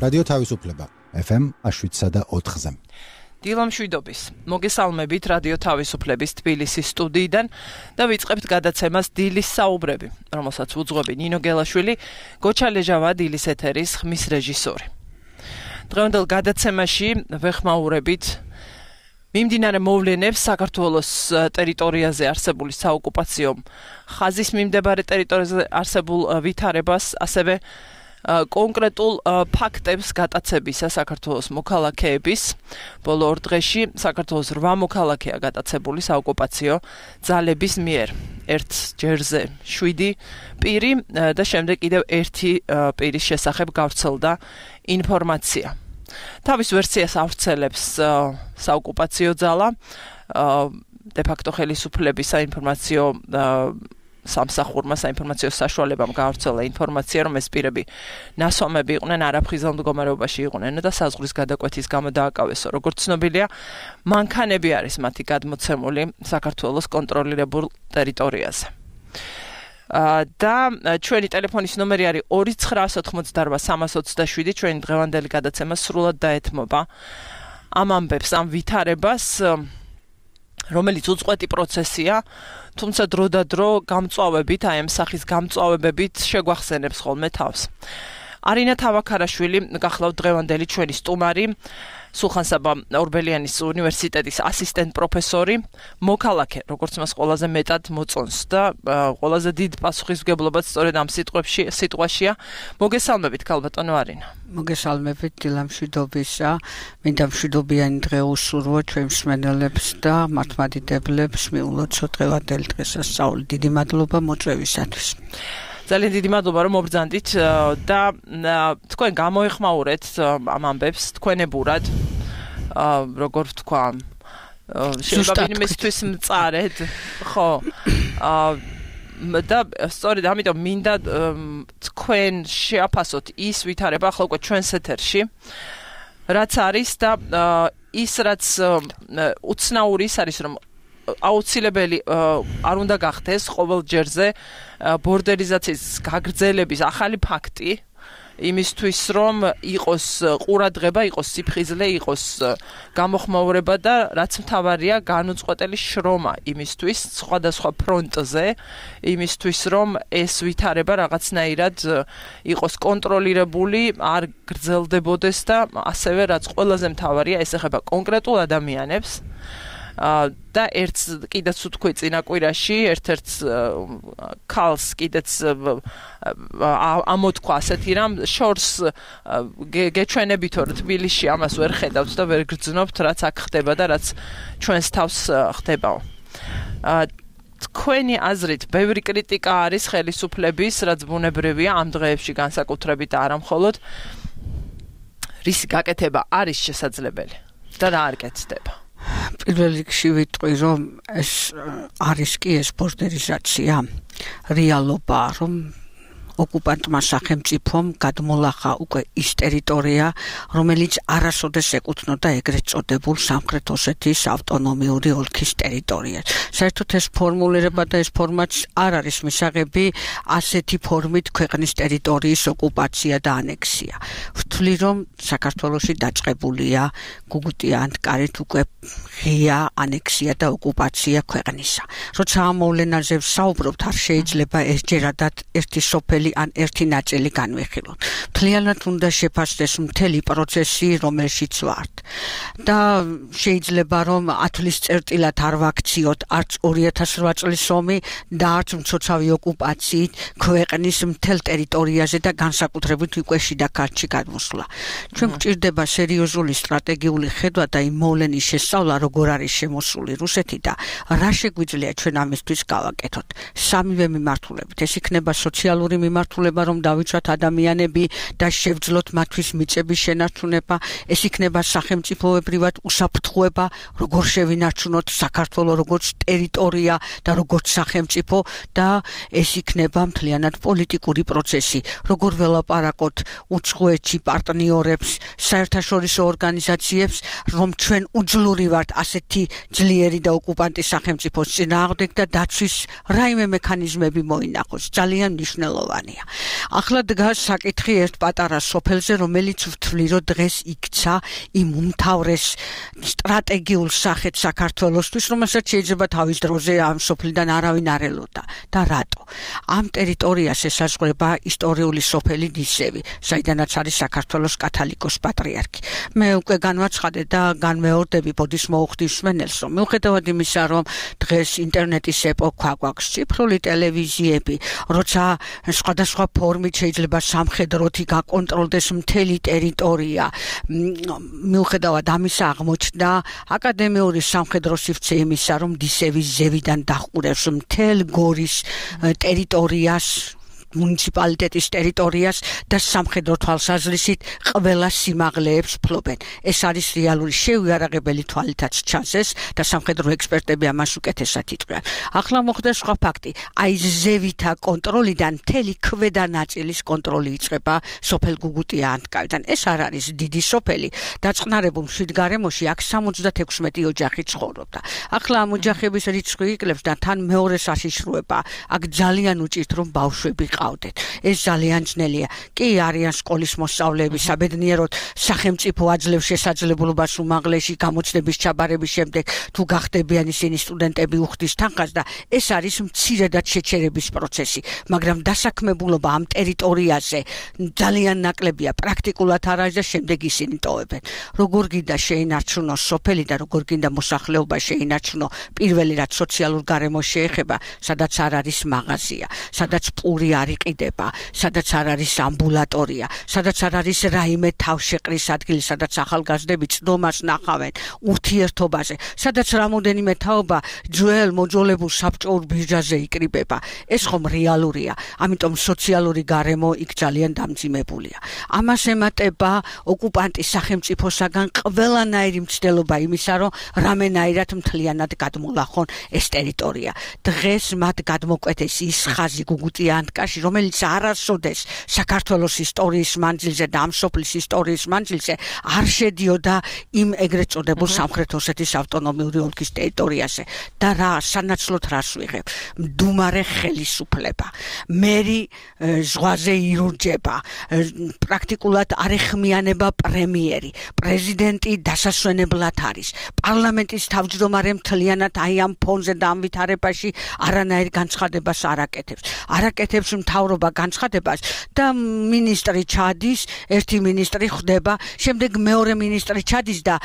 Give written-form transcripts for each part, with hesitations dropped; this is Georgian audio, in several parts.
რადიო თავისუფლება FM 7.4-ზე. დილა მშვიდობის. მოგესალმებით რადიო თავისუფლების თბილისის სტუდიიდან და ვიწყებთ გადაცემას დილის საუბრები, რომელსაც უძღვები ნინო გელაშვილი, გოჩა ლეჟავა დილის ეთერის ხმის რეჟისორი. დღევანდელ გადაცემაში ვეხმაურებით მიმდინარე მოვლენებს საქართველოს ტერიტორიაზე არსებული საოკუპაციო ხაზის მიმდებარე ტერიტორიაზე არსებულ ვითარებას, ასევე კონკრეტულ ფაქტებს გატაცებისა საქართველოს მოქალაქეების. ბოლო ორ დღეში საქართველოს 8 მოქალაქეა გატაცებული საოკუპაციო ძალების მიერ. ერთ ჯერზე 7 პირი და შემდეგ კიდევ 1 პირის შესახებ გავრცელდა ინფორმაცია. თავის ვერსიას ავრცელებს საოკუპაციო ძალა, დე-ფაქტო ხელისუფლების საინფორმაციო სამსახურმა საინფორმაციო საშუალებამ გაავრცელა ინფორმაცია, რომ ეს პირები ნასვამები იყვნენ, არაფხიზელ მდგომარეობაში იყვნენ და საზღვრის გადაკვეთის გამო დააკავესო. როგორც ცნობილია, მანქანები არის მათი გადმოცემული საქართველოს კონტროლირებულ ტერიტორიაზე. და ჩვენი ტელეფონის ნომერი არის 2988327. ჩვენი დღევანდელი გადაცემა სრულად დაეთმობა ამ ამბებს, ამ ვითარებას, რომელიც უწყვეტი პროცესია, თუმცა დრო და დრო გამწვავებით, აი ამ სახის გამწვავებებით შეგვახსენებს ხოლმე თავს. არინა თავაქარაშვილი გახლავთ დღევანდელი ჩვენი სტუმარი, სულხან-საბა ორბელიანის უნივერსიტეტის ასისტენტ პროფესორი, მოქალაქე, როგორც მას ყველაზე მეტად მოწონს და ყველაზე დიდ პასუხისმგებლობაც სწორედ ამ სიტყვაშია. მოგესალმებით, ქალბატონო არინა. მოგესალმებით, დილა მშვიდობისა. მინდა მშვიდობიანი დღე უსურვო ჩვენ მსმენელებს და მართლმადიდებლებს მიულოცოთ დღევანდელი დღესასწაული. დიდი მადლობა მოწვევისათვის. ძალიან დიდი მადლობა რომ მობრძანდით და თქვენ გამოეხმაურეთ ამ ამბებს თქვენებურად, როგორ ვთქვა, შეიძლება იმისთვის მწარედ, ხო. და სწორედ ამიტომ მინდა თქვენ შეაფასოთ ის ვითარება ახლა უკვე ჩვენს ეთერში, რაც არის და ის რაც უცნაური ის არის, რომ აუცილებელი არ უნდა გახდეს ყოველ ჯერზე ბორდერიზაციის გაგრძელების ახალი ფაქტი, იმისთვის რომ იყოს ყურადღება, იყოს სიფხიზლე, იყოს გამოხმაურება და რაც მთავარია განუწყვეტელი შრომა იმისთვის სხვადასხვა ფრონტზე, იმისთვის რომ ეს ვითარება რაღაცნაირად იყოს კონტროლირებული, არ გრძელდებოდეს და ასევე რაც ყველაზე მთავარია, ეს ეხება კონკრეტულ ადამიანებს. და ერთს კიდეც ვთქვი წინა კვირაში, ერთ-ერთ ქალს კიდეც ამოთქვა ასეთი რამ, შორს გეჩვენებითო რომ თბილისში ამას ვერ ხედავთ და ვერ გრძნობთ, რაც აქ ხდება და რაც ჩვენს თავს ხდებაო. თქვენი აზრით, ბევრი კრიტიკა არის ხელისუფლების, რაც ბუნებრივია ამ დღეებში განსაკუთრებით არა მხოლოდ, რისი გაკეთება არის შესაძლებელი და რა არ კეთდება. პირველ რიგში ვიტყვი, რომ ეს არის კი ეს ბორდერიზაცია, რეალობა, რომ ოკუპანტმა სახელმწიფომ გადმოლახა უკვე ის ტერიტორია, რომელიც არასოდეს ეკუთვნოდა ეგრეთ წოდებულ სამხრეთ ოსეთის ავტონომიური ოლქის ტერიტორიას. საერთოდ ეს ფორმულირება და ეს ფორმაც არ არის მისაღები ასეთი ფორმით ქვეყნის ტერიტორიის ოკუპაცია და ანექსია. ვთვლი, რომ საქართველოში დაწყებულია გუგუტია ანტკარით უკვე ღია ანექსია და ოკუპაცია ქვეყნისა. როცა ამ მოვლენაზე ვსაუბრობთ, არ შეიძლება ერთჯერადად ერთი სოფელი ან ერთი ნაწილი განვიხილოთ. მთლიანად უნდა შეფასდეს მთელი პროცესი, რომელშიც ვართ. და შეიძლება რომ 10 წლის წერტილად არ ვაქციოთ არც 2008 წლის ომი და არც მცოცავი ოკუპაციით ქვეყნის მთელ ტერიტორიაზე და განსაკუთრებით უკვე შიდა ქართლში გადმოსვლა. ჩვენ გვჭირდება სერიოზული სტრატეგიული ხედვა და იმ მოვლენის შესწავლა, როგორ არის შემოსული რუსეთი და რა შეგვიძლია ჩვენ ამისთვის გავაკეთოთ. სამივე მიმართულებით. ეს იქნება სოციალური მიმართულება, რომ დავიცვათ ადამიანები და შევძლოთ მათთვის მიწების შენარჩუნება, ეს იქნება სახელმწიფოებრივად უსაფრთხოება, როგორ შევინარჩუნოთ საქართველოს როგორც ტერიტორია და როგორც სახელმწიფო და ეს იქნება მთლიანად პოლიტიკური პროცესი, როგორ ველაპარაკოთ უცხოეთში პარტნიორებს, საერთაშორისო ორგანიზაციებს, რომ ჩვენ უძლური ვართ ასეთი ძლიერი და ოკუპანტის სახელმწიფოს წინააღმდეგ და დაცვის რაიმე მექანიზმები მოინახოს. ძალიან მნიშვნელოვანი. მნიშვნელოვანია. ახლა დგას საკითხი ერთ პატარა სოფელზე, რომელიც ვთვლი, რომ დღეს იქცა იმ უმთავრეს სტრატეგიულ სახეთ საქართველოსთვის, რომელსაც შეიძლება თავის დროზე ამ სოფლიდან არავინ არ ელოდა. და რატო? ამ ტერიტორიას ესაზღვრება ისტორიული სოფელი ნისევი, საიდანაც არის საქართველოს კათოლიკოს პატრიარქი. მე უკვე განვაცხადე და განმეორდები ბოდის მოუხდის მსმენელს, რომ მიუხედავად იმისა, რომ დღეს ინტერნეტის ეპოქა გვაქვს, ციფრული ტელევიზიები, როცა სხვადასხვა ფორმით შეიძლება სამხედროთი გაკონტროლდეს მთელი ტერიტორია, მიუხედავად ამისა აღმოჩნდა აკადემიური სამხედრო სივრცე იმისა, რომ ნისევის ზევიდან დაჰყურებს მთელ გორის ტერიტორიას, მუნიციპალიტეტის ტერიტორიას და სამხედრო თვალსაზრისით ყველა სიმაღლეებს ფლობენ. ეს არის რეალური შეუიარაღებელი თვალითაც ჩანს და სამხედრო ექსპერტები ამას უკეთესად იტყვიან. ახლა მოხდა სხვა ფაქტი. აი ზევითა კონტროლიდან მთელი ქვედა ნაწილის კონტროლი იწყება სოფელ გუგუტია-ანტკავიდან. ეს არ არის დიდი სოფელი. დაწყნარებულ მშვიდგარემოში აქ 76 ოჯახი ცხოვრობდა. ახლა ამ ოჯახების რიცხვი იკლებს და თან მეორე საშიშროება. აქ ძალიან უჭირთ რომ ბავშვები ეს ძალიან ძნელია. კი არიან სკოლის მოსწავლეები, საბედნიეროდ სახელმწიფო აძლევს შესაძლებლობას უმაღლესი გამოცდების ჩაბარების შემდეგ თუ გახდებიან ისინი სტუდენტები უხდის თანხას და ეს არის მცირედად შეჩერების პროცესი, მაგრამ დასაქმებულობა ამ ტერიტორიაზე ძალიან ნაკლებია, პრაქტიკულად არ არის და შემდეგ ისინი ტოვებენ. როგორ გინდა შეინარჩუნოს სოფელი და როგორ გინდა მოსახლეობა შეინარჩუნო პირველი რაც სოციალურ გარემოს შეეხება, სადაც არ არის მაღაზია, სადაც პური არ იყიდება, სადაც არ არის ამბულატორია, სადაც არ არის რაიმე თავშეყრის ადგილი, სადაც ახალგაზრდები წდომას ნახავენ ურთიერთობაზე, სადაც რამოდენიმე თაობა ძველ მოძოლებულ საბჭოურ ბირჟაზე იკრიბება. ეს ხომ რეალურია, ამიტომ სოციალური გარემო იქ ძალიან დამძიმებულია. ამას ემატება ოკუპანტის სახელმწიფოსაგან ყველანაირი მცდელობა იმისა, რომ რამენაირად მთლიანად გადმოლახონ ეს ტერიტორია. დღეს მათ გადმოკვეთეს ის ხაზი გუგუტია-ანტკავში, რომელიც არასოდეს საქართველოს ისტორიის მანძილზე და ამ სოფლის ისტორიის მანძილზე არ შედიოდა იმ ეგრეთ წოდებულ სამხრეთ ოსეთის ავტონომიური ოლქის ტერიტორიაზე. და რა სანაცვლოდ რას ვიღებ? მდუმარე ხელისუფლება, მერი ზღვაზე ირურჯება, პრაქტიკულად არ ეხმიანება პრემიერი, პრეზიდენტი დასასვენებლად არის, პარლამენტის თავმჯდომარე მთლიანად აი ამ ფონზე და ამ ვითარებაში არანაირ განცხადებას არ აკეთებს მთავრობა განცხადებას და მინისტრი ჩადის, ერთი მინისტრი ხდება, შემდეგ მეორე მინისტრი ჩადის და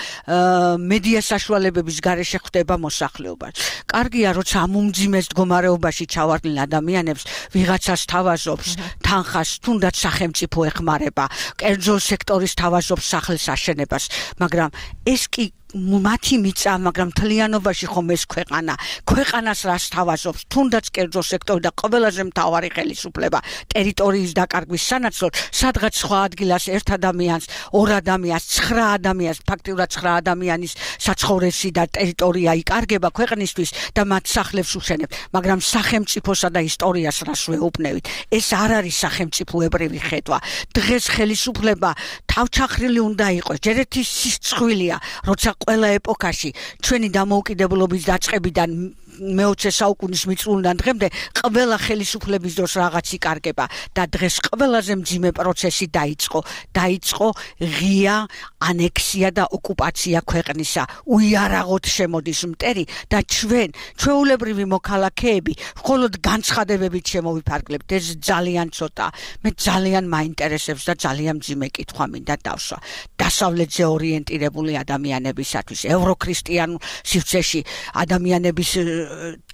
მედია საშუალებების გარეშე ხდება მოსახლეობა. კარგია, როცა ამ უმძიმეს მდგომარეობაში ჩავარდნილ ადამიანებს ვიღაცას თავაზობს თანხას, თუნდაც სახელმწიფო ეხმარება, კერძო სექტორის თავაზობს სახლის აშენებას, მაგრამ ეს კი მათი მიწა, მაგრამ მთლიანობაში ხომ ეს ქვეყანას რას თავაზობს, თუნდაც კერძო სექტორი და ყველაზე მთავარი ხელისუფლება ტერიტორიის დაკარგვის სანაცვლოდ, სადღაც სხვა ადგილას ერთ ადამიანს, ორ ადამიანს, 9 ადამიანს, ფაქტიურად 9 ადამიანის საცხოვრისი და ტერიტორია იკარგება ქვეყნისთვის და მათ სახლებს უშენებთ, მაგრამ სახელმწიფოსა და ისტორიას რას ვეუბნევით? ეს არ არის სახელმწიფოებრივი ხედვა. დღეს ხელისუფლება თავჩახრილი უნდა იყოს, ჯერ ერთი სისცხვილია, როცა ყველა ეპოქაში ჩვენი დამოუკიდებლობის დაწყებიდან მე-20 საუკუნის მიწურულიდან დღემდე ყველა ხელისუფლების დროს რაღაც იკარგება და დღეს ყველაზე მძიმე პროცესი დაიწყო ღია ანექსია და ოკუპაცია ქვეყნისა. უიარაღოდ შემოდის მტერი და ჩვეულებრივი მოქალაქეები მხოლოდ განცხადებებით შემოვიფარგლებთ. ეს ძალიან ცოტა. მე ძალიან მაინტერესებს და ძალიან მძიმე კითხვა მინდა დავსვა. დასავლეთზე ორიენტირებული ადამიანებისათვის, ევროქრისტიანულ სივრცეში ადამიანების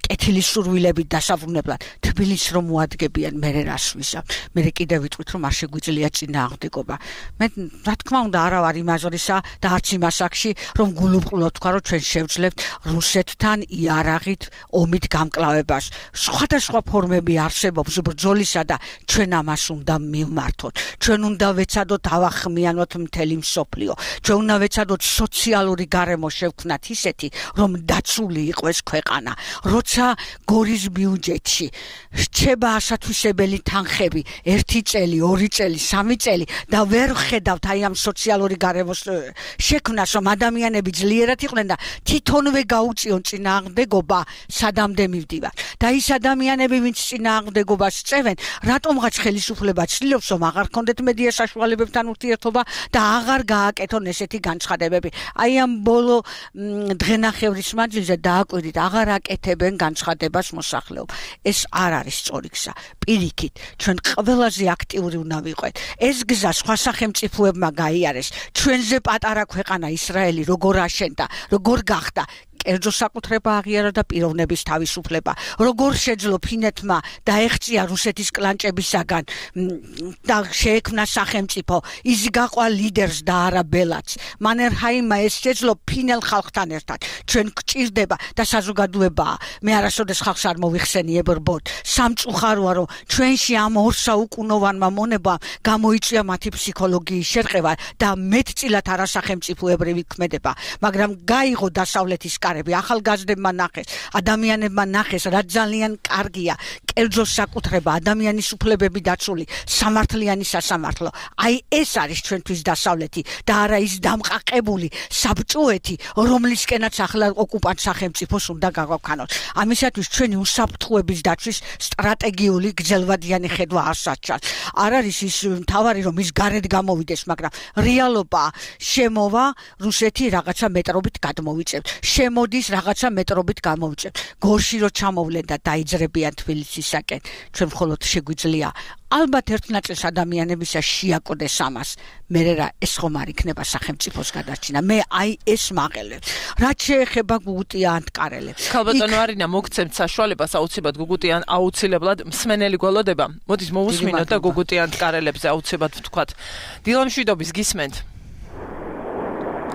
კეთილის სურვილებით დასაბრუნებლად თბილისს რომ მოადგებიან, მე რას ვიზამ? მე კიდევ ვიტყვით, რომ არ შეგვიძლია წინააღმდეგობა. მე რა თქმა უნდა არა ვარ იმ აზრისა და არც იმ ასაკში, რომ გულუბრყვილოდ თქვა, რომ ჩვენ შევძლებთ რუსეთთან იარაღით ომით გამკლავებას. სხვადასხვა ფორმები არსებობს ბრძოლისა და ჩვენ ამას უნდა მივმართოთ. ჩვენ უნდა ვეცადოთ ავახმიანოთ მთელი მსოფლიო. ჩვენ უნდა ვეცადოთ სოციალური გარემო შევქმნათ ისეთი, რომ დაცული იყოს ქვეყანა. როცა როცა გორის ბიუჯეტში რჩება ასათვისებელი თანხები 1 წელი, 2 წელი, 3 წელი და ვერ ხედავთ აი ამ სოციალური გარემოს შექმნას, რომ ადამიანები ძლიერად იყვნენ და თვითონვე გაუწიონ წინააღმდეგობა, სადამდე მივდივარ. და ის ადამიანები, ვინც წინააღმდეგობას წევენ, რატომღაც ხელისუფლება ცდილობს, რომ აღარ ქონდეთ მედია საშუალებებთან ურთიერთობა და აღარ გააკეთონ ესეთი განცხადებები. აი ამ ბოლო დღენახევრის მანძილზე დააკვირდით, აღარ აკეთებენ განცხადებას მოსახლეობ. ეს არ არის სწორი გზა. პირიქით, ჩვენ ყველაზე აქტიური უნდა ვიყოთ. ეს გზა სხვა სახელმწიფოებმა გაიარეს. ჩვენზე პატარა ქვეყანა ისრაელი როგორ აშენდა, როგორ გახდა კერძო საკუთრება აღიარა და პიროვნების თავისუფლება. როგორ შეძლო ფინეთმა დაეღწია რუსეთის კლანჭებისაგან და შეექმნა სახელმწიფო, ის გაყვა ლიდერს და არა ბელადს. მანერჰაიმმა ეს შეძლო ფინელ ხალხთან ერთად. ჩვენ გვჭირდება და საზოგადოებაა. მე არასოდეს ხალხს არ მოვიხსენი ებრბოდ. სამწუხაროა, რომ ჩვენში ამ ორ საუკუნოვანმა მონებამ გამოიწვია მათი ფსიქოლოგიის შერყევა და მეტწილად არასახელმწიფოებრივი ქმედება, მაგრამ გაიღო დასავლეთის ახალგაზრდებმა ნახეს, ადამიანებმა ნახეს, რა ძალიან კარგია კერძო საკუთრება, ადამიანის უფლებები დაცული, სამართლიანი სასამართლო. აი ეს არის ჩვენთვის დასავლეთი და არა ის დამყაყებული საბჭოეთი, რომლისკენაც ახლა ოკუპანტ სახელმწიფოს უნდა გაგვაქანოთ. ამისათვის ჩვენი უსაფრთხოების დაცვის სტრატეგიული გრძელვადიანი ხედვა არსაჩას. არ არის ის მთავარი, რომ ის გარეთ გამოვიდეს, მაგრამ რეალობა შემოვა, რუსეთი რაღაცა მეტრობით გადმოვიწევთ. მოდის რაღაცა მეტრობით გამოვიწევთ. გორში რო ჩამოვლენ და დაიძრებიან თბილისისაკენ, ჩვენ მხოლოდ შეგვიძლია ალბათ ერთ ნაწილს ადამიანებისა შეაკოდეს ამას. მე რა ეს ხომ არ იქნება სახელმწიფოს გადარჩენა. მე აი ეს მაღელებს. რაც შეეხება გუგუტიან-ტკარელებს. ქალბატონო არინა, მოგცემთ საშუალებას აუცილებლად აუცილებლად მსმენელი გველოდება. მოდით მოვუსმინოთ და გუგუტიან-ტკარელებზე აუცილებლად ვთქვათ. დილამშვიდობის გისმენთ.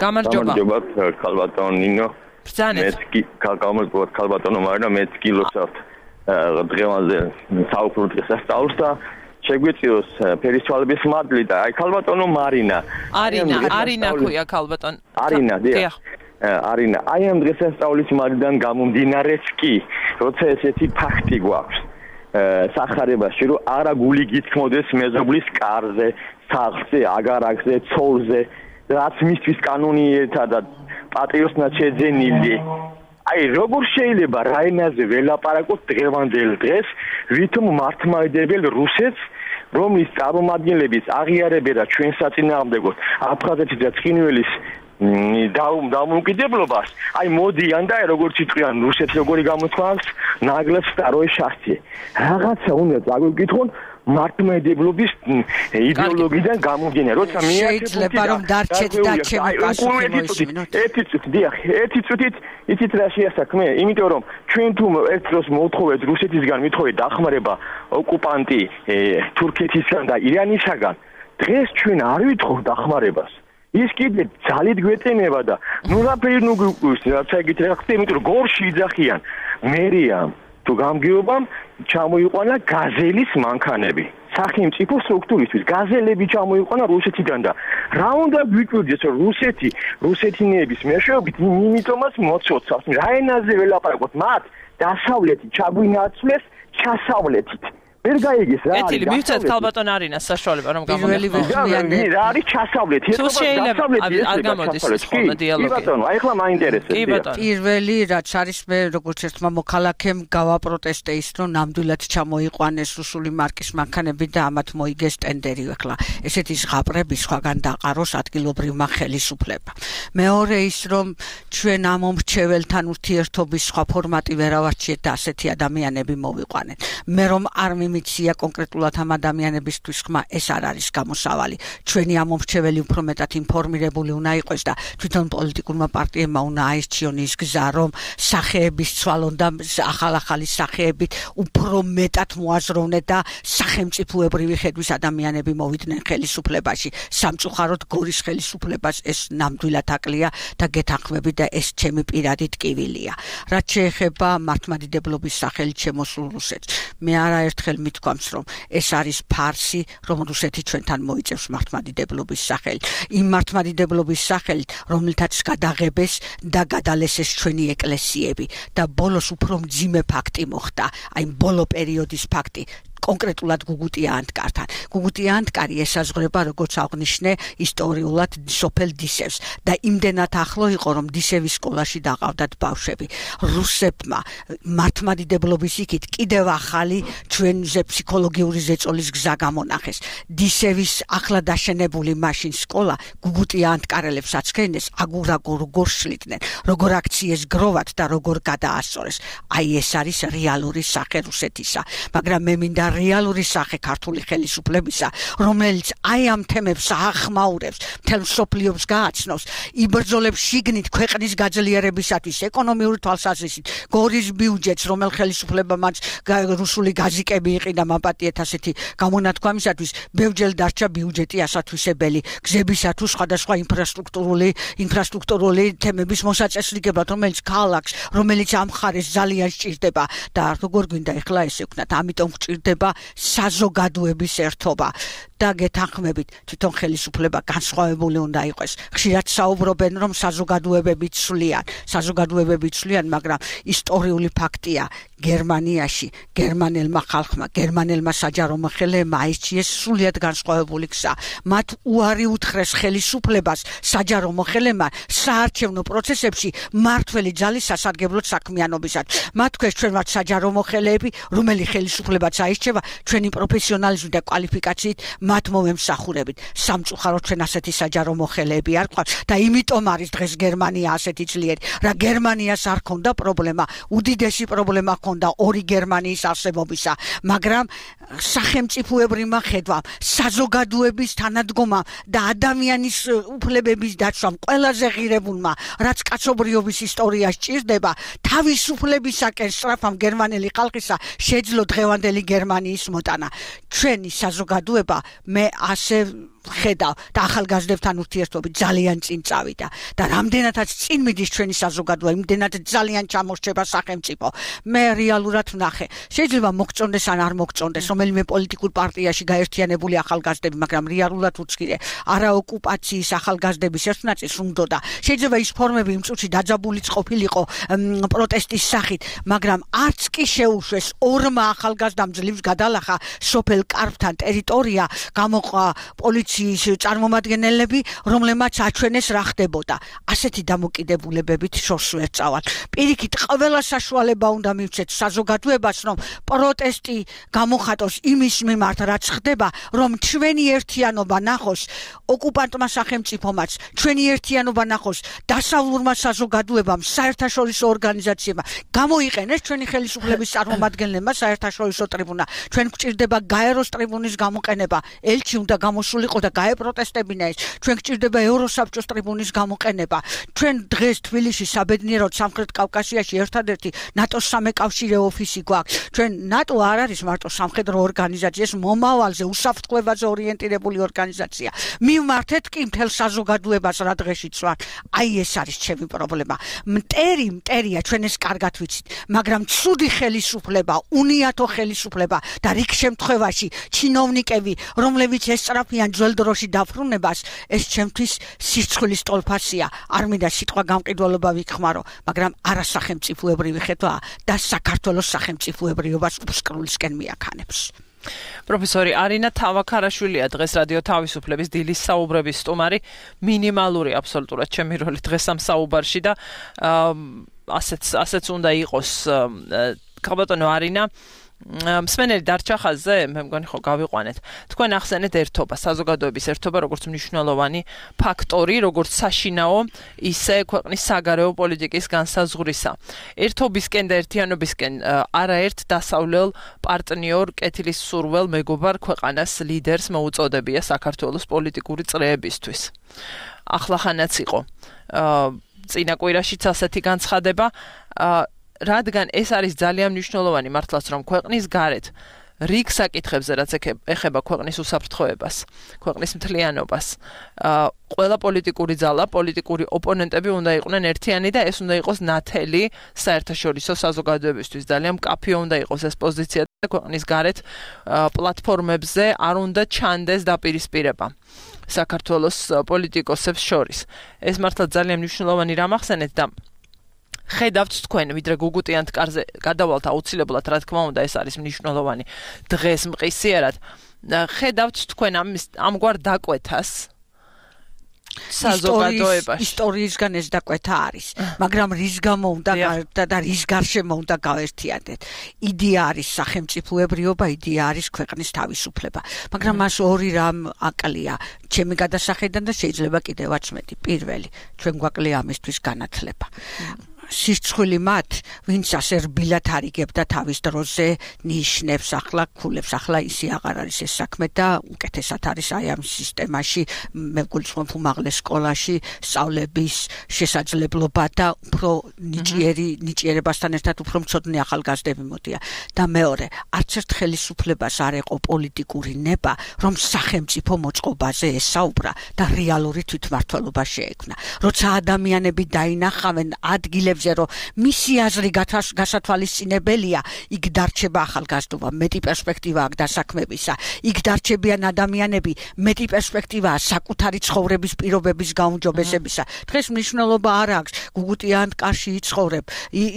გამარჯობა. გამარჯობა ქალბატონო ნინო. ბრძანეთ. გამარჯობა ქალბატონო მარინა, მეც გილოცავთ დღევანდელ საუბრ დღესასწაულს და შეგვიწიოს ფერისცვალების მადლი და აი ქალბატონო მარინა. არინა ქვია ქალბატონ. არინა, დიახ. არინა, აი ამ დღესასწაულის მადლიდან გამომდინარეც კი, როცა ესეთი ფაქტი გვაქვს სახარებაში, რომ არა გული გითქმოდეს მეზობლის კარზე, სახლზე, აგარაკზე, ცოლზე, რაც მისთვის კანონიერთა და პატრიოტნად შეძენილი. აი როგორ შეიძლება რაინაზე ველაპარაკოთ დღევანდელ დღეს, ვითომ მართლმადიდებელ რუსეთს, რომლის წარმომადგენლების აღიარებერა ჩვენ საწინააღმდეგოდ აფხაზეთის და ცხინვალის დამოუკიდებლობას, აი მოდიან და როგორც იტყვიან რუსეთს როგორი გამოთქვამს, ნაგლებს სტაროე შასტი. რაღაცა უნდა წაგვიკითხონ მართლმადიდებლობის იდეოლოგიიდან გამომდინარე, როცა შეიძლება რომ დარჩეთ და ჩემი პასუხი მოისმინოთ. ერთი წუთით იცით რა შეასაქმე? იმიტომ რომ ჩვენ თუ ერთ დროს მოვთხოვეთ რუსეთისგან მithოვეთ დახმარება ოკუპანტი თურქეთისგან და ირანისგან, დღეს ჩვენ არ ვითხოვთ დახმარებას. ის კიდე ძალით გვეწენება და ნუ რაფერი ნუ გვიყვეს, რაცა იგით რა ხდება, იმიტომ რომ გორში იძახიან მერიამ თუ გამგეობამ ჩამოიყვანა გაზელის მანქანები. სახელმწიფო სტრუქტურისთვის გაზელები ჩამოიყვანა რუსეთიდან და რა უნდა გვიკვირდეს რომ რუსეთინების მეშვეობით იმიტომაც მოცოცავს. რა ენაზე ველაპარაკოთ მათ დასავლეთი ჩაგვინაცვლეს ჩასავლეთით. ვერ გაიგეს რა არის. ეთილი მივცეთ ქალბატონ არინას საშუალება რომ გამოვიდეს. რა არის ჩასავლეთი? თუ შეიძლება არ გამოდის ხოლმე დიალოგი. კი ბატონო, აი ახლა მაინტერესებს. კი ბატონო. პირველი რაც არის მე როგორც ერთმა მოქალაქემ გავაპროტესტე ის რომ ნამდვილად ჩამოიყვანეს რუსული მარკის მანქანები და ამათ მოიგეს ტენდერი ახლა. ესეთი ზღაპრები სხვაგან დაყაროს ადგილობრივმა ხელისუფლებამ. მეორე ის რომ ჩვენ ამ მომრჩეველთან ურთიერთობის სხვა ფორმატი ვერ ავარჩიეთ და ასეთი ადამიანები მოვიყვანეთ. მე რომ არ მიცია კონკრეტულად ამ ადამიანებისთვის ხმა ეს არ არის გამოსავალი. ჩვენი ამ მომრჩეველი უფრო მეტად ინფორმირებული უნდა იყოს და თვითონ პოლიტიკურმა პარტიებმა უნდა აირჩიონ ის გზა, რომ სახეების ცვალონ და ახალ-ახალი სახეებით უფრო მეტად მოაზროვნეთ და სახელმწიფოებრივი ხედვის ადამიანები მოვიდნენ ხელისუფლებაში. სამწუხაროდ გორის ხელისუფლებას ეს ნამდვილად აკლია და გეთანხმები და ეს ჩემი პირადი ტკივილია. რაც შეეხება მართლმადიდებლობის სახელით შემოსულ რუსეთს, მე არაერთხელ მithქვამს, რომ ეს არის ფარსი, რომ რუსეთი ჩვენთან მოიწევს მართლმადიდებლობის სახელით. იმ მართლმადიდებლობის სახელით, რომელთაც გადაღებეს და გადალესეს ჩვენი ეკლესიები და ბოლოს უფრო მძიმე ფაქტი მოხდა, აი ბოლო პერიოდის ფაქტი. კონკრეტულად გუგუტია ანტკართან. გუგუტია ანტკარი ესაზღვრება, როგორც აღნიშნე, ისტორიულად სოფელ დისევს და იმდენად ახლო იყო, რომ დისევის სკოლაში დაყავდათ ბავშვები. რუსებმა მართლმადიდებლობის იქით კიდევ ახალი ჩვენზე ფსიქოლოგიური ზეწოლის გზა გამონახეს. დისევის ახლა დაშენებული მაშინ სკოლა გუგუტია ანტკარელებს აცხენეს, როგორ შლიდნენ, როგორ აქციეს გროვად და როგორ გადაასწორეს. აი ეს არის რეალური სახე რუსეთისა, მაგრამ მე მინდა რეალური სახე ქართული ხელისუფლებისა, რომელიც აი ამ თემებს ახმაურებს, მთელ მსოფლიოს გააცნობს, იბრძოლებს შიგნით ქვეყნის გაძლიერებისათვის, ეკონომიური თვალსაზრისით, გორის ბიუჯეტს, რომელ ხელისუფლება მას რუსული გაზიკები იყიდა მაპატიეთ ასეთი გამონათქვამისათვის, ბევრჯერ დარჩა ბიუჯეტი ასათვისებელი გზებისათვის, სხვადასხვა ინფრასტრუქტურული თემების მოსაწესრიგებლად, რომელიც ქალაქს, რომელიც ამ მხარეს ძალიან სჭირდება და როგორ გვინდა ეხლა ესე ვქნათ, ამიტომ გჭირდება საზოგადოების ერთობა და გეთანხმებით, თვითონ ხელისუფლება განსხვავებული უნდა იყოს. ხშირად საუბრობენ, რომ საზოგადოებები ცვლიან, მაგრამ ისტორიული ფაქტია, გერმანიაში გერმანელმა ხალხმა, გერმანელმა საჯარო მოხელეებმა აირჩიეს სრულიად განსხვავებული გზა. მათ უარი უთხრეს ხელისუფლებას, საჯარო მოხელეებმა საარჩევნო პროცესებში მმართველი ძალის სასარგებლოდ საქმიანობისათვის. მათ თქვეს, ჩვენ ვართ საჯარო მოხელეები, რომელი ხელისუფლებაც აირჩევა ჩვენი პროფესიონალიზმით და კვალიფიკაციით მათ მომემსახურებით. სამწუხაროდ ჩვენ ასეთი საჯარო მოხელეები არ გვყავს და იმიტომ არის დღეს გერმანია ასეთი ძლიერი, რა გერმანიას არ ქონდა პრობლემა, უდიდესი პრობლემა ქონდა ორი გერმანიის არსებობისა, მაგრამ სახელმწიფოებრივმა ხედვამ, საზოგადოების თანადგომამ და ადამიანის უფლებების დაცვამ ყველაზე ღირებულმა, რაც კაცობრიობის ისტორია სჭირდება, თავისუფლებისაკენ სწრაფამ გერმანელი ხალხისა შეძლო დღევანდელი გერმანიის მოტანა. ჩვენი საზოგადოება მე ასე ხედავ და ახალგაზრდებთან ურთიერთობით ძალიან წინ წავიდა და რამდენადაც წინ მიდის ჩვენი საზოგადოება, იმდენად ძალიან ჩამორჩება სახელმწიფო. მე რეალურად ვნახე, შეიძლება მოგწონდეს ან არ მოგწონდეს რომელიმე პოლიტიკურ პარტიაში გაერთიანებული ახალგაზრდები, მაგრამ რეალურად უცგირე არაოკუპაციის ახალგაზრდების ერთ ნაწილს უნდოდა. შეიძლება ის ფორმები იმ წუთში დაძაბულიც ყოფილიყო პროტესტის სახით, მაგრამ არც კი შეუშვეს ორმა ახალგაზრდამ ძლივს გადალახა სოფელ კარფთან ტერიტორია, გამოყვა პოლიციის წარმომადგენლები, რომლებმაც აჩვენეს რა ხდებოდა. ასეთი დამოკიდებულებებით შორს ვერ წავალ. პირიქით, ყველა საშუალება უნდა მივცეთ საზოგადოებას, რომ პროტესტი გამოხატოს იმის მიმართ, რაც ხდება, რომ ჩვენი ერთიანობა ნახოს ოკუპანტმა სახელმწიფომაც, ჩვენი ერთიანობა ნახოს დასავლურმა საზოგადოებამ, საერთაშორისო ორგანიზაციებმა, გამოიყენეს ჩვენი ხელისუფლების წარმომადგენლებმა საერთაშორისო ტრიბუნა. ჩვენ გვჭირდება გაეროს ტრიბუნის გამოყენება, ელჩი უნდა გამოსულიყო და გაეპროტესტებინა ეს. ჩვენ გვჭირდება ევროსაბჭოს ტრიბუნის გამოყენება. ჩვენ დღეს თბილისში საბედნიეროდ სამხრეთ კავკასიაში ერთადერთი ნატოს სამეკავშირე ოფისი გვაქვს. ჩვენ ნატო არ არის მარტო სამხედრო ორგანიზაცია, ეს მომავალზე უსაფრთხოებაზე ორიენტირებული ორგანიზაცია. მივმართეთ კი მთელ საზოგადოებას რა დღეშიც ვარ. აი ეს არის ჩემი პრობლემა. მტერია ჩვენ ეს კარგად ვიცით, მაგრამ ცუდი ხელისუფლება, უნიათო ხელისუფლება და რიგ შემთხვევაში ჩინოვნიკები, რომლებიც ესწრაფიან ძველ დროში დაფრუნებას, ეს ჩემთვის სირცხვილის ტოლფასია. არ მინდა სიტყვა გამყიდველობა ვიქხმარო, მაგრამ არასახელმწიფოებრივი ხედვა და საქართველოს სახელმწიფოებრიობას უსკრულისკენ მიაქანებს. პროფესორი არინა თავაქარაშვილია დღეს რადიო თავისუფლების დილის საუბრების სტუმარი, მინიმალური აბსოლუტურად ჩემი როლი დღეს ამ საუბარში და ასეც უნდა იყოს. ქალბატონო არინა, მსმენელი დარჩა ხაზზე, მე მგონი ხო გავიყვანეთ. თქვენ ახსენეთ ერთობა, საზოგადოების ერთობა როგორც მნიშვნელოვანი ფაქტორი, როგორც საშინაო, ისე ქვეყნის საგარეო პოლიტიკის განსაზღვრისა. ერთობისკენ და ერთიანობისკენ არაერთ დასავლელ პარტნიორ კეთილის სურველ მეგობარ ქვეყანას ლიდერს მოუწოდებია საქართველოს პოლიტიკური წრეებისთვის. ახლახანაც იყო წინა კვირაშიც ასეთი განცხადება, რადგან ეს არის ძალიან მნიშვნელოვანი მართლაც, რომ ქვეყნის გარეთ რიგ საკითხებზე, რაც ეხება ქვეყნის უსაფრთხოებას, ქვეყნის მთლიანობას, ყველა პოლიტიკური ძალა, პოლიტიკური ოპონენტები უნდა იყვნენ ერთიანი და ეს უნდა იყოს ნათელი საერთაშორისო საზოგადოებისთვის. ძალიან მკაფიო უნდა იყოს ეს პოზიცია და ქვეყნის გარეთ პლატფორმებზე არ უნდა ჩანდეს დაპირისპირება საქართველოს პოლიტიკოსებს შორის. ეს მართლა ძალიან მნიშვნელოვანი რამ ახსენეთ და ხედავთ თქვენ, ვიდრე გუგუტიანთ კარზე გადავალთ აუცილებლად, რა თქმა უნდა, ეს არის მნიშვნელოვანი დღეს მყისიერად. ხედავთ თქვენ ამგვარ დაკვეთას საზოგადოებაში. ისტორიისგან ეს დაკვეთა არის, მაგრამ რის გამო უნდა და რის გარშემო უნდა გავერთიანდეთ. იდეა არის სახელმწიფოებრიობა, იდეა არის ქვეყნის თავისუფლება. მაგრამ მას ორი რამ აკლია, ჩემი გადასახედიდან და შეიძლება კიდევაც მეტი. პირველი, ჩვენ გვაკლია ამისთვის განათლება. სისწრული მათ, ვინც ასე რბილად არიგებდა თავის დროზე ნიშნებს, ახლა ქულებს, ახლა ისე აღარ არის ეს საქმე და უკეთესად არის აი ამ სისტემაში, მე გულწრფობ უმაღლეს სკოლაში სწავლების შესაძლებლობა და უფრო ნიჭიერებასთან ერთად უფრო მცოდნე ახალგაზრდები მოდიან. და მეორე, არც ერთ ხელისუფლებას არ ეყო პოლიტიკური ნება, რომ სახელმწიფო მოწყობაზე ესაუბრა და რეალური თვითმმართველობა შეექმნა. როცა ადამიანები დაინახავენ ადგილებს რომ მისი აზრი გასათვალისწინებელია, იქ დარჩება ახალგაზრდობა, მეტი პერსპექტივა აქვს დასაქმებისა, იქ დარჩებიან ადამიანები, მეტი პერსპექტივაა საკუთარი ცხოვრების პირობების გაუმჯობესებისა. დღეს მნიშვნელობა არ აქვს, გუგუტიანთ კარში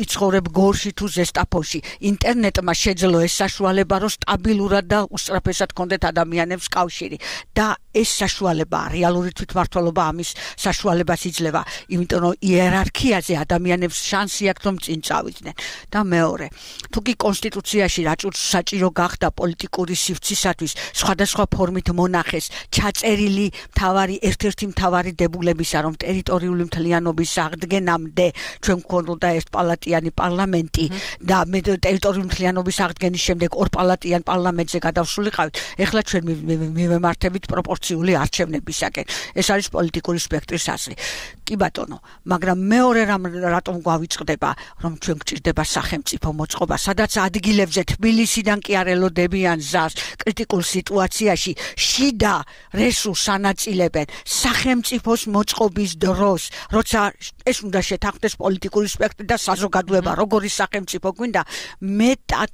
იცხოვრებ გორში თუ ზესტაფონში. ინტერნეტმა შეძლო ეს საშუალება, რომ სტაბილურად და უსწრაფესად ჰქონდეთ ადამიანებს კავშირი და ეს საშუალებაა, რეალური თვითმმართველობა ამის საშუალებას იძლევა, იმიტომ რომ იერარქიაზე ადამიანებს შანსი აქვს რომ წინ წავიდნენ. და მეორე, თუ კი კონსტიტუციაში რაჭუთ საჭირო გახდა პოლიტიკური სივრცისათვის სხვადასხვა ფორმით მონახეს ჩაწერილი ერთ-ერთი მთავარი დებულებისა, რომ ტერიტორიული მთლიანობის აღდგენამდე ჩვენ გვქონდა ერთპალატიანი პარლამენტი და მე ტერიტორიული მთლიანობის აღდგენის შემდეგ ორპალატიან პარლამენტზე გადავსულიყავით, ეხლა ჩვენ მივემართებით პროპორციული არჩევნებისაკენ. ეს არის პოლიტიკური სპექტრის აზრი. კი ბატონო, მაგრამ მეორე რატომ გვავიწყდება, რომ ჩვენ გვჭირდება სახელმწიფო მოწყობა, სადაც ადგილებზე თბილისიდან კი არ ელოდებიან ზარს კრიტიკულ სიტუაციაში, შიდა რესურსს ანაწილებენ სახელმწიფოს მოწყობის დროს, როცა ეს უნდა შეთანხმდეს პოლიტიკური სპექტრი და საზოგადოება, როგორი სახელმწიფო გვინდა, მეტად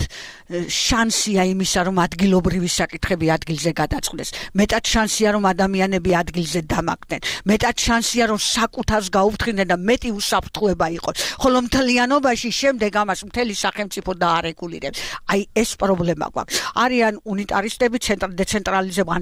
შანსია იმისა, რომ ადგილობრივი საკითხები ადგილზე გადაწყდეს, მეტად შანსია, რომ ადამიანები ადგილზე დამაგდნენ, მეტად შანსია, რომ საკუთარს გაუფრთხილდნენ და მეტი უსაფრთხოება იყოს. ხოლო მთლიანობაში შემდეგ ამას მთელი სახელმწიფო დაარეგულირებს. აი ეს პრობლემა გვაქვს. არიან უნიტარისტები,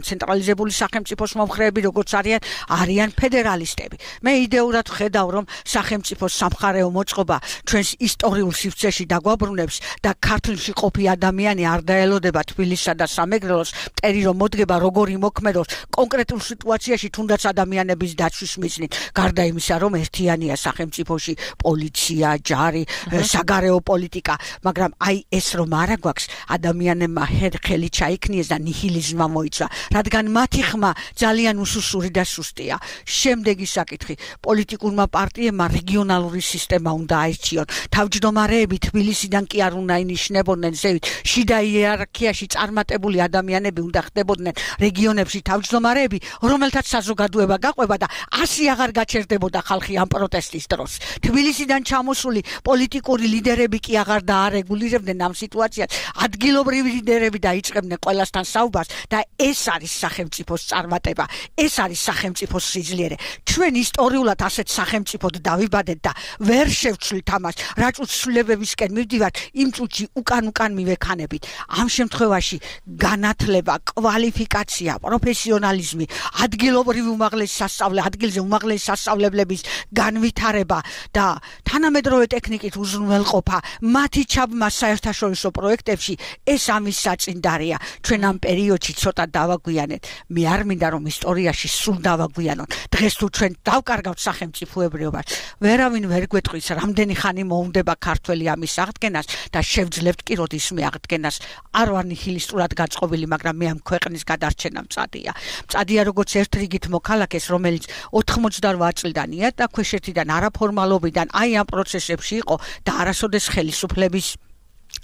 ცენტრალიზებული სახელმწიფოს მომხრეები, როგორც არიან ფედერალისტები. მე იდეურად ხედავ, რომ სახელმწიფოს სამხარეო მოწყობა ჩვენს ისტორიულ სივრცეში დაგვაბრუნებს და ქართლში ყოფი ადამიანი არ დაელოდება თბილისსა და სამეგრელოს, მტერი რომ მოდგება როგორი მოქმედოს კონკრეტულ სიტუაციაში, თუნდაც ადამიანების დაცვის მიზნით, გარდა იმისა, რომ ერთიანია სახელმწიფოში პოლიცია, ჯარი, საგარეო პოლიტიკა, მაგრამ აი ეს რომ არა გვაქვს, ადამიანებმა ხელი ჩაიქნიეს და ნიჰილიზმმა მოიცვა, რადგან მათი ხმა ძალიან უსუსური და სუსტია. შემდეგი საკითხი, პოლიტიკურმა პარტიებმა რეგიონალური სისტემა უნდა აირჩიონ. თავმჯდომარეები თბილისიდან კი არ უნდა ინიშნებოდნენ ზევით, შიდა იერარქიაში წარმატებული ადამიანები უნდა ხდებოდნენ რეგიონებში თავმჯდომარეები, რომელთაც საზოგადოება გაყვება და ასე აღარ გაჩერდებოდა ხალხი ამ პროტესტის დროს. თბილისიდან ჩამოსული პოლიტიკური ლიდერები კი აღარ დაარეგულირებდნენ ამ სიტუაციას, ადგილობრივი ლიდერები დაიწყებდნენ ყველასთან საუბარს და ეს არის სახელმწიფოს წარმატება, ეს არის სახელმწიფოს სიძლიერე. ჩვენ ისტორიულად ასეთ სახელმწიფოდ დავიბადეთ და ვერ შევცვლით ამას, რაჭუთ ცვლილებებისკენ მივდივართ, იმ წუთში უკან მივექანებით. ამ შემთხვევაში განათლება, კვალიფიკაცია, პროფესიონალიზმი, ადგილობრივი ადგილზე უმაღლესი სასწავლებლების განვითარება და თანამედროვე ტექნიკით უზრუნველყოფა მათი ჩაბმა საერთაშორისო პროექტებში, ეს ამის საწინდარია. ჩვენ ამ პერიოდში ცოტა დავაგვიანეთ. მე არ მინდა რომ ისტორიაში სულ დავაგვიანოთ. დღეს თუ ჩვენ დავკარგავთ სახელმწიფოებრიობას, ვერავინ ვერ გვეტყვის რამდენი ხანი მოუნდება ქართველი ამის აღდგენას და შევძლებთ კი როდისმე აღდგენას. არ ვარ ნიჰილისტურად გაწყობილი, მაგრამ მე ამ ქვეყნის გადარჩენა მწადია. მწადია როგორც ერთ რიგით მოქალაქეს, რომელიც 88 წლიდანია და ქვეშეთიდან არაფორმალობიდან აი ამ პროცესებში იყო და არასოდეს ხელისუფლების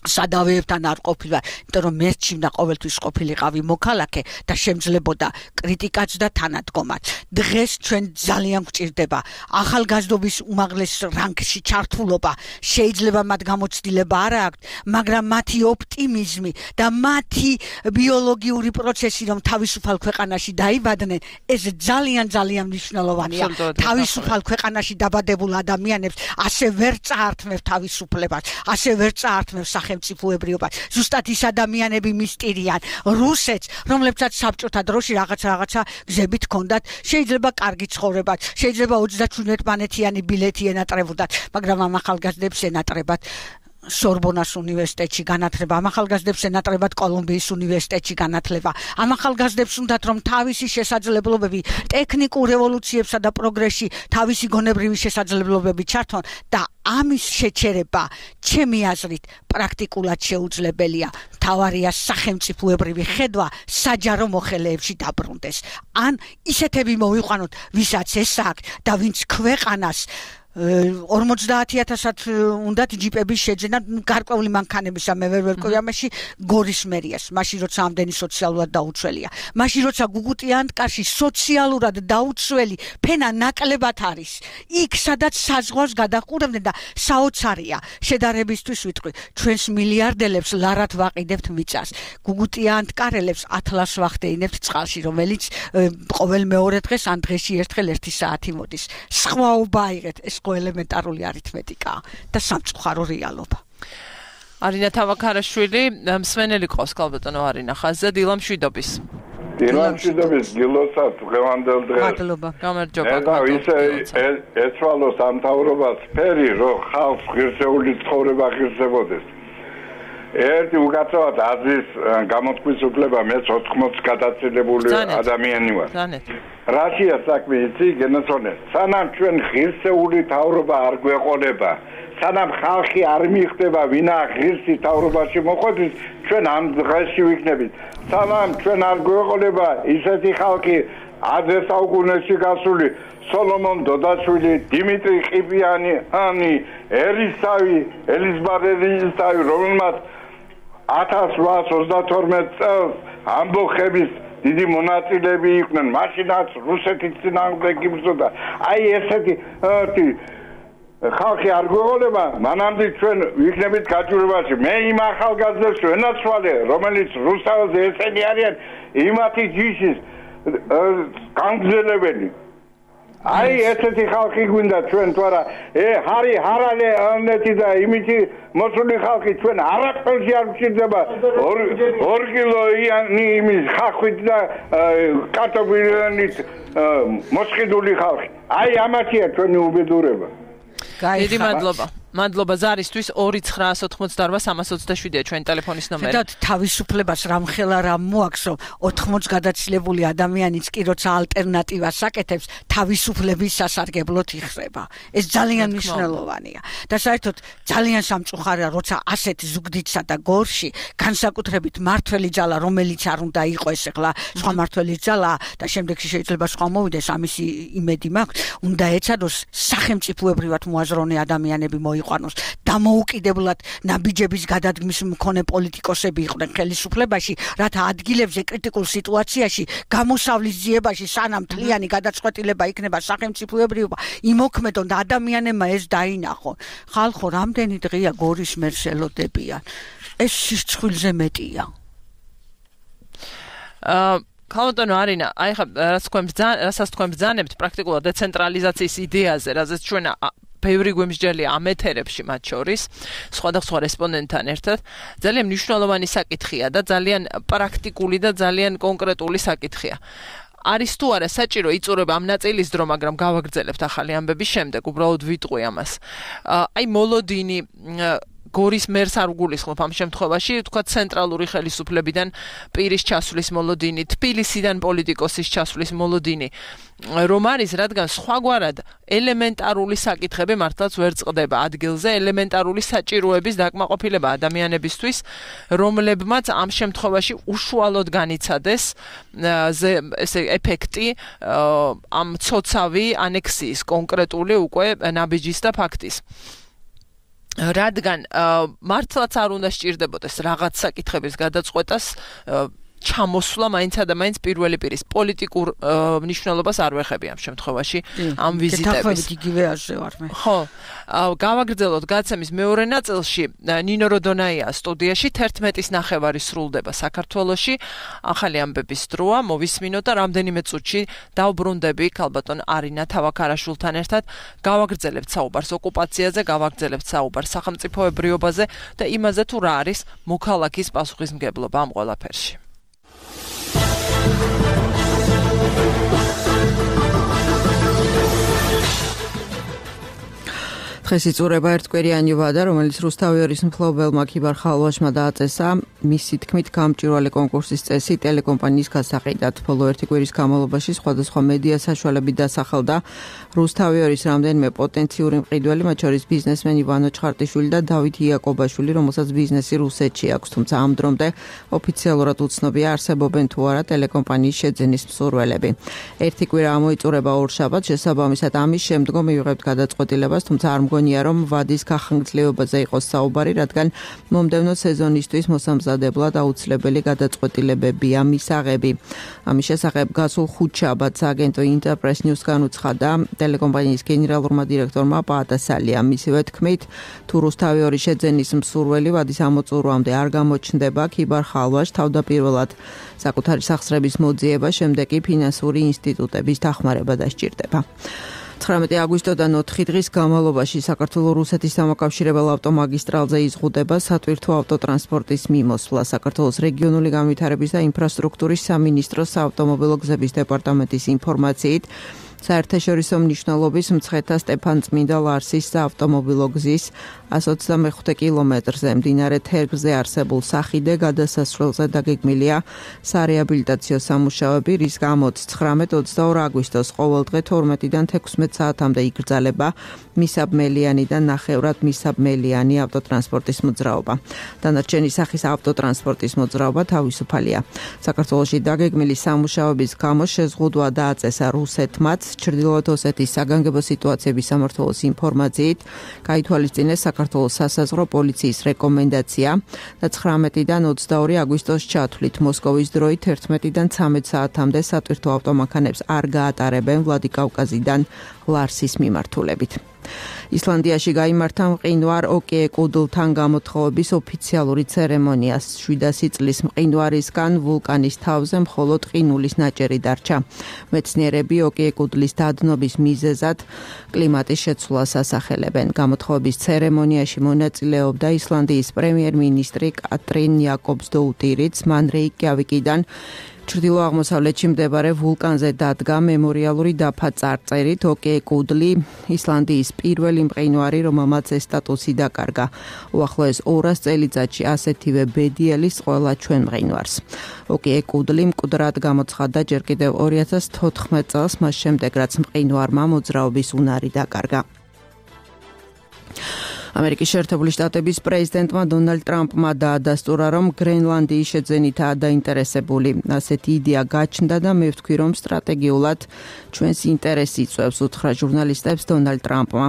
სადავეებთან არ ყოფილა, იმიტომ რომ მერჩივნა ყოველთვის ყოფილიყავი მოქალაქე და შემძლებოდა კრიტიკაც და თანადგომაც. დღეს ჩვენ ძალიან გვჭირდება ახალგაზრდობის უმაღლეს რანგში ჩართულობა. შეიძლება მათ გამოცდილება არ აქვთ, მაგრამ მათი ოპტიმიზმი და მათი ბიოლოგიური პროცესი რომ თავისუფალ ქვეყანაში დაიბადნენ, ეს ძალიან მნიშვნელოვანია. თავისუფალ ქვეყანაში დაბადებულ ადამიანებს ასე ვერ წაართმევ თავისუფლებას, ასე ვერ წაართმევ სახელმწიფოებრიობას. ზუსტად ის ადამიანები მისტირიან რუსეთს, რომლებსაც საბჭოთა დროში რაღაცა გზებით ჰქონდათ, შეიძლება კარგი ცხოვრება, შეიძლება 37-მანეთიანი ბილეთი ენატრებოდათ, მაგრამ ამ ახალგაზრდებს ენატრებათ სორბონას უნივერსიტეტში განათლება, ამ ახალგაზრდებს ენატრებათ კოლუმბიის უნივერსიტეტში განათლება. ამ ახალგაზრდებს უნდათ რომ თავისი შესაძლებლობები ტექნიკურ რევოლუციებსა და პროგრესში თავისი გონებრივი შესაძლებლობები ჩართონ და ამის შეჩერება ჩემი აზრით პრაქტიკულად შეუძლებელია. მთავარია სახელმწიფოებრივი ხედვა საჯარო მოხელეებში დაბრუნდეს. ან ისეთები მოვიყვანოთ, ვისაც ეს აქვს და ვინც ქვეყანას 50,000-ად უნდათ ჯიპების შეძენა გარკვეული მანქანებისა მე ვერ ვერკვევი ამაში გორის მერიას, მაშინ როცა ამდენი სოციალურად დაუცველია. მაშინ როცა გუგუტიანტკარში სოციალურად დაუცველი ფენა ნაკლებად არის. იქ სადაც საზღვარს გადაყურებდნენ და საოცარია. შედარებისთვის ვიტყვი, ჩვენს მილიარდელებს ლარად ვაყიდებთ მიწას. გუგუტიანტკარელებს ათლას ვახდეინებთ წყალში, რომელიც ყოველ მეორე დღეს ან დღეში ერთხელ 1 საათი მოდის. სხვაობა აიღეთ, ეს ელემენტარული არითმეტიკაა და სამწუხარო რეალობა. არინა თავაქარაშვილი, მსმენელი ყავს ქალბატონო არინა ხაზზე, დილა მშვიდობის. დილა მშვიდობის, გილოცავთ დღევანდელ დღეს. მადლობა. გამარჯობა. და ისე ეცვალოს ამთავრობას ფერი, რომ ხალხს ღირსეული ცხოვრება ღირსებოდეს. ერთი უკაცრავად აზრის გამოთქმის უფლება მეც 80 გადაწილებული ადამიანი ვარ. რაშია საქმე იცი გენაცონე. სანამ ჩვენ ღირსეული თავრობა არ გვეყოლება, სანამ ხალხი არ მიხვდება ვინა ღირსი თავრობაში მოხვედრით, ჩვენ ამ დღეში ვიქნებით. სანამ ჩვენ არ გვეყოლება ისეთი ხალხი 10 საუკუნეში გასული სოლომონ დოდაშვილი, დიმიტრი ყიფიანი, ელიზბარელისავი, რომელმაც 1832 წელს ამბოხების დიდი მონაწილეები იყვნენ, მაშინაც რუსეთის წინააღმდეგ იბრძოდა. აი ესეთი ხალხი არ გვეყოლება, მანამდე ჩვენ ვიქნებით გაჭირვებაში. მე იმ ახალგაზრდებს ვენაცვალე, რომელიც რუსთავზე ესენი არიან, იმათი ჯიშის განგზელებელი. აი ესეთი ხალხი გვინდა ჩვენ თუ არა ჰარი ჰარალე ანეთი და იმითი მოსული ხალხი ჩვენ არაფერში არ გვჭირდება 2 კილო იმის ხახვით და კარტოფილით მოსყიდული ხალხი. აი ამათია ჩვენი უბედურება. დიდი მადლობა ზარისთვის 2-988-327-ია ჩვენი ტელეფონის ნომერი. და თავისუფლებას რამხელა რამ მოაქვს, რომ 80 გადაცილებული ადამიანიც კი როცა ალტერნატივას აკეთებს, თავისუფლების სასარგებლოდ იხსება. ეს ძალიან მნიშვნელოვანია. და საერთოდ ძალიან სამწუხარია, როცა ასეთ ზუგდიდსა და გორში, განსაკუთრებით მართველი ძალა, რომელიც არ უნდა იყოს ახლა სხვა მართველი ძალა და შემდეგში შეიძლება სხვა მოვიდეს, ამისი იმედი მაქვს, უნდა ეცადოს სახელმწიფოებრივად მოაზროვნე ადამიანები მოიყვანოს. დამოუკიდებლად ნაბიჯების გადადგმის მქონე პოლიტიკოსები იყვნენ ხელისუფლებაში, რათა ადგილებზე კრიტიკულ სიტუაციაში გამოსავლის ძიებაში სანამ მთლიანი გადაწყვეტილება იქნება სახელმწიფოებრიობა, იმოქმედონ და ადამიანებმა ეს დაინახონ. ხალხო, რამდენი დღეა გორის მერს ელოდებიან? ეს სიცხვილზე მეტია. ქალბატონო არინა, აი ხა რასაც თქვენ ბრძანებთ პრაქტიკულად დეცენტრალიზაციის იდეაზე, რაზეც ჩვენ ბევრი გვემსჯელია ამ ეთერებში მათ შორის, სხვადასხვა რესპონდენტთან ერთად, ძალიან მნიშვნელოვანი საკითხია და ძალიან პრაქტიკული და ძალიან კონკრეტული საკითხია. არის თუ არა საჭირო იწურება ამ ნაწილის დრო, მაგრამ გავაგრძელებთ ახალი ამბების შემდეგ, უბრალოდ ვიტყვი ამას. აი მოლოდინი გორის მერს არ გულისხმობ ამ შემთხვევაში, თქვა ცენტრალური ხელისუფლებიდან პირის ჩასვლის მოლოდინი, თბილისიდან პოლიტიკოსის ჩასვლის მოლოდინი, რომ არის, რადგან სხვაგვარად ელემენტარული საკითხები მართლაც ვერ წყდება ადგილზე, ელემენტარული საჭიროების დაკმაყოფილება ადამიანებისთვის, რომლებმაც ამ შემთხვევაში უშუალოდ განიცადეს ესე ეფექტი ამ ცოცავი ანექსიის კონკრეტული უკვე ნაბიჯის და ფაქტის. რადგან მართლაც არ უნდა სჭირდებოდეს რაღაც საკითხების გადაწყვეტას ჩამოსვლა მაინცა და მაინც პირველი პირის პოლიტიკურ მნიშვნელობას არ ვეხები ამ შემთხვევაში ამ ვიზიტების. იგივე აზრზე ვარ მე. ხო, გავაგრძელოთ გაცემის მეორე ნაწილში ნინო როდონაია სტუდიაში 11:30 სრულდება საქართველოში. ახალი ამბების დროა, მოვისმინოთ და რამდენიმე წუთში დავბრუნდები ქალბატონ არინა თავაქარაშვილთან ერთად. გავაგრძელებთ საუბარს ოკუპაციაზე, გავაგრძელებთ საუბარს სახელმწიფოებრიობაზე და იმაზე თუ რა არის მოქალაქის პასუხისმგებლობა ამ ყველაფერში. დღეს იწურება ერთკვირიანი ვადა, რომელიც რუსთავიორის მფლობელმა ქიბარ ხალვაშმა დააწესა მისი თქმით გამჭვირვალე კონკურსის წესი ტელეკომპანიის გასაყიდად. ბოლო ერთი კვირის განმავლობაში სხვადასხვა მედია საშუალებით დასახელდა რუსთავიორის რამდენიმე პოტენციური მყიდველი, მათ შორის ბიზნესმენი ვანო ჩხარტიშვილი და დავით იაკობაშვილი, რომელსაც ბიზნესი რუსეთში აქვს, თუმცა ამ დრომდე ოფიციალურად უცნობია არსებობენ თუ არა ტელეკომპანიის შეძენის მსურველები. ერთი კვირა ამოიწურება ორშაბათს, შესაბამისად ამის შემდგომ მივიღებთ გადაწყვეტილებას, თუმცა არ მგონია რომ ვადის გახანგრძლივებაზე იყოს საუბარი, რადგან მომდევნო სეზონისთვის მოსამზადებლად აუცილებელი გადაწყვეტილებებია მისაღები. ამის შესახებ გასულ ხუთშაბათს აგენტო ინტერპრეს ნიუსგან უცხადა ტელეკომპანიის გენერალურმა დირექტორმა პაატასალია. მისივე თქმით, თუ რუსთავიორის შეძენის მსურველი ვადის ამოწურვამდე არ გამოჩნდება, ქიბარ ხალვაშს თავდაპირველად საკუთარი სახსრების მოძიება, შემდეგ კი ფინანსური ინსტიტუტების დახმარება დასჭირდება. 19 აგვისტოდან 4 დღის განმავლობაში საქართველოს-რუსეთის დამაკავშირებელ ავტომაგისტრალზე იზღუდება სატვირთო ავტოტრანსპორტის მიმოსვლა. საქართველოს რეგიონული განვითარების და ინფრასტრუქტურის სამინისტროს საავტომობილო გზების დეპარტამენტის ინფორმაციით საერთაშორისო მნიშვნელობის მცხეთა სტეფანწმინდა ლარსის საავტომობილო გზის 125 კილომეტრზე მდინარე თერგზე არსებულ სახიდე გადასასვლელზე დაგეგმილია სარეაბილიტაციო სამუშაოები, რის გამოც 19-22 აგვისტოს ყოველდღე 12-დან 16 საათამდე იკრძალება მისაბმელიანი და ნახევრად მისაბმელიანი ავტოტრანსპორტის მოძრაობა. დანარჩენი სახის ავტოტრანსპორტის მოძრაობა თავისუფალია. საქართველოში დაგეგმილი სამუშაოების გამო შეზღუდვა დააწესა რუსეთმაც. ჩრდილოეთ ოსეთის საგანგებო სიტუაციების სამმართველოს ინფორმაციით გაითვალისწინეს საქართველოს სასაზღვრო პოლიციის რეკომენდაცია და 19-დან 22 აგვისტოს ჩათვლით მოსკოვის დროით 11-დან 13 საათამდე სატვირთო ავტომანქანებს არ გაატარებენ ვლადიკავკაზიდან ლარსის მიმართულებით. ისლანდიაში გაიმართა მყინვარ ოკეეკუდლთან გამოთხოვების ოფიციალური ცერემონია. 700 წლის მყინვარისგან ვულკანის თავზე მხოლოდ ყინულის ნაჭერი დარჩა. მეცნიერები ოკეეკუდლის დადნობის მიზეზად კლიმატის შეცვლას ასახელებენ. გამოთხოვების ცერემონიაში მონაწილეობდა ისლანდიის პრემიერ-მინისტრი კატრინ იაკობსდოუტირიც. მან რეიკიავიკიდან ჩრდილო-აღმოსავლეთში მდებარე ვულკანზე დადგა მემორიალური დაფა წარწერით ოკეეკუდლი ისლანდიის პირველი მყინვარი, რომელმაც ეს სტატუსი დაკარგა. უახლოეს 200 წელიწადში ასეთივე ბედიელის ყველა ჩვენ მყინვარს. ოკეეკუდლი მკვდრად გამოცხადდა ჯერ კიდევ 2014 წელს, მას შემდეგ რაც მყინვარმა მოძრაობის უნარი დაკარგა. ამერიკის შეერთებული შტატების პრეზიდენტმა დონალდ ტრამპმა დაადასტურა, რომ გრენლანდიის შეძენითაა დაინტერესებული. ასეთი იდეა გაჩნდა და მე ვთქვი, რომ სტრატეგიულად ჩვენს ინტერესს იწვევს, უთხრა ჟურნალისტებს დონალდ ტრამპმა.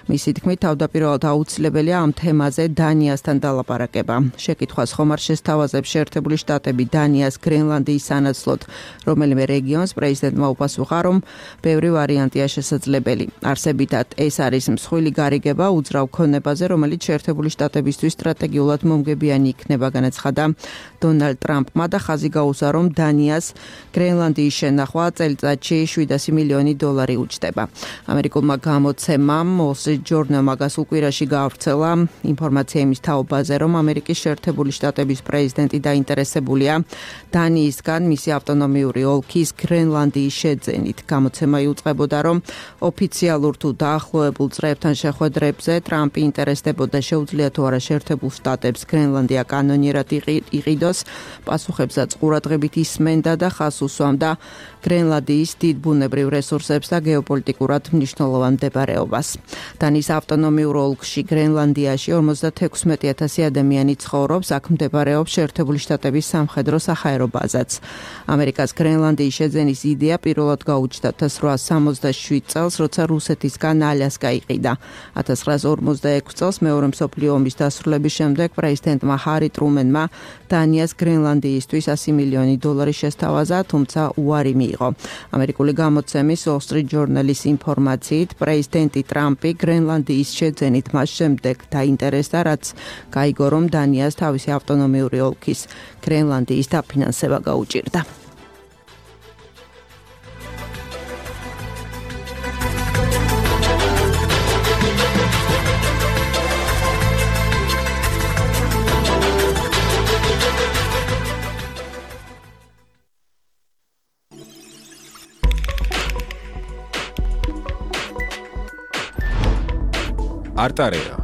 მისი თქმით, თავდაპირველად აუცილებელია ამ თემაზე დანიასთან დალაპარაკება. შეკითხვას ხომ არ შესთავაზებს შეერთებული შტატები დანიას გრენლანდიის სანაცვლოდ რომელიმე რეგიონს, პრეზიდენტმა უპასუხა, რომ ბევრი ვარიანტია შესაძლებელი. არსებითად ეს არის მსხვილი გარიგება უძრავ ქონებაზე, რომელიც შეერთებული შტატებისთვის სტრატეგიულად მომგებიანი იქნება, განაცხადა დონალდ ტრამპმა და ხაზი გაუსვა, რომ დანიას გრენლანდიის შენახვა წელიწადში $700 მილიონი უჯდება. ამერიკულმა გამოცემამ Wall Street Journal-მა გასულ კვირაში გაავრცელა ინფორმაცია იმის თაობაზე, რომ ამერიკის შეერთებული შტატების პრეზიდენტი დაინტერესებულია დანიისგან მისი ავტონომიური ოლქის გრენლანდიის შეძენით. გამოცემა იუწყებოდა, რომ ოფიციალურ თუ დაახლოებულ წრეებთან შეხვედრებზე ტრამპი ინტერესდებოდა შეუძლია თუ არა შეერთებულ შტატებს გრენლანდია კანონიერად იყიდოს, პასუხებსაც ყურადღებით ისმენდა და ხაზს უსვამდა გრენლანდიის დიდ ბუნებრივ რესურსებს და გეოპოლიტიკურად მნიშვნელოვან მდებარეობას. დანიის ავტონომიურ ოლქში გრენლანდიაში 56,000 ადამიანი ცხოვრობს, აქ მდებარეობს შეერთებული შტატების სამხედრო საჰაერო ბაზაც. ამერიკას გრენლანდიის შეძენის იდეა პირველად გაუჩნდა 1867 წელს, როცა რუსეთისგან ალიასკა იყიდა. 1946 წელს მეორე მსოფლიო ომის დასრულების შემდეგ პრეზიდენტმა ჰარი ტრუმენმა დანიას გრენლანდიისთვის $100 მილიონი შესთავაზა, თუმცა უარი მიიღო. ამერიკული გამოცემის Wall Street Journal-ის ინფორმაციით, პრეზიდენტი ტრამპი გრენლანდიის შეძენით მას შემდეგ დაინტერესდა, რაც გაიგო, რომ დანიას თავისი ავტონომიური ოლქის გრენლანდიის დაფინანსება გაუჭირდა. არტარეა.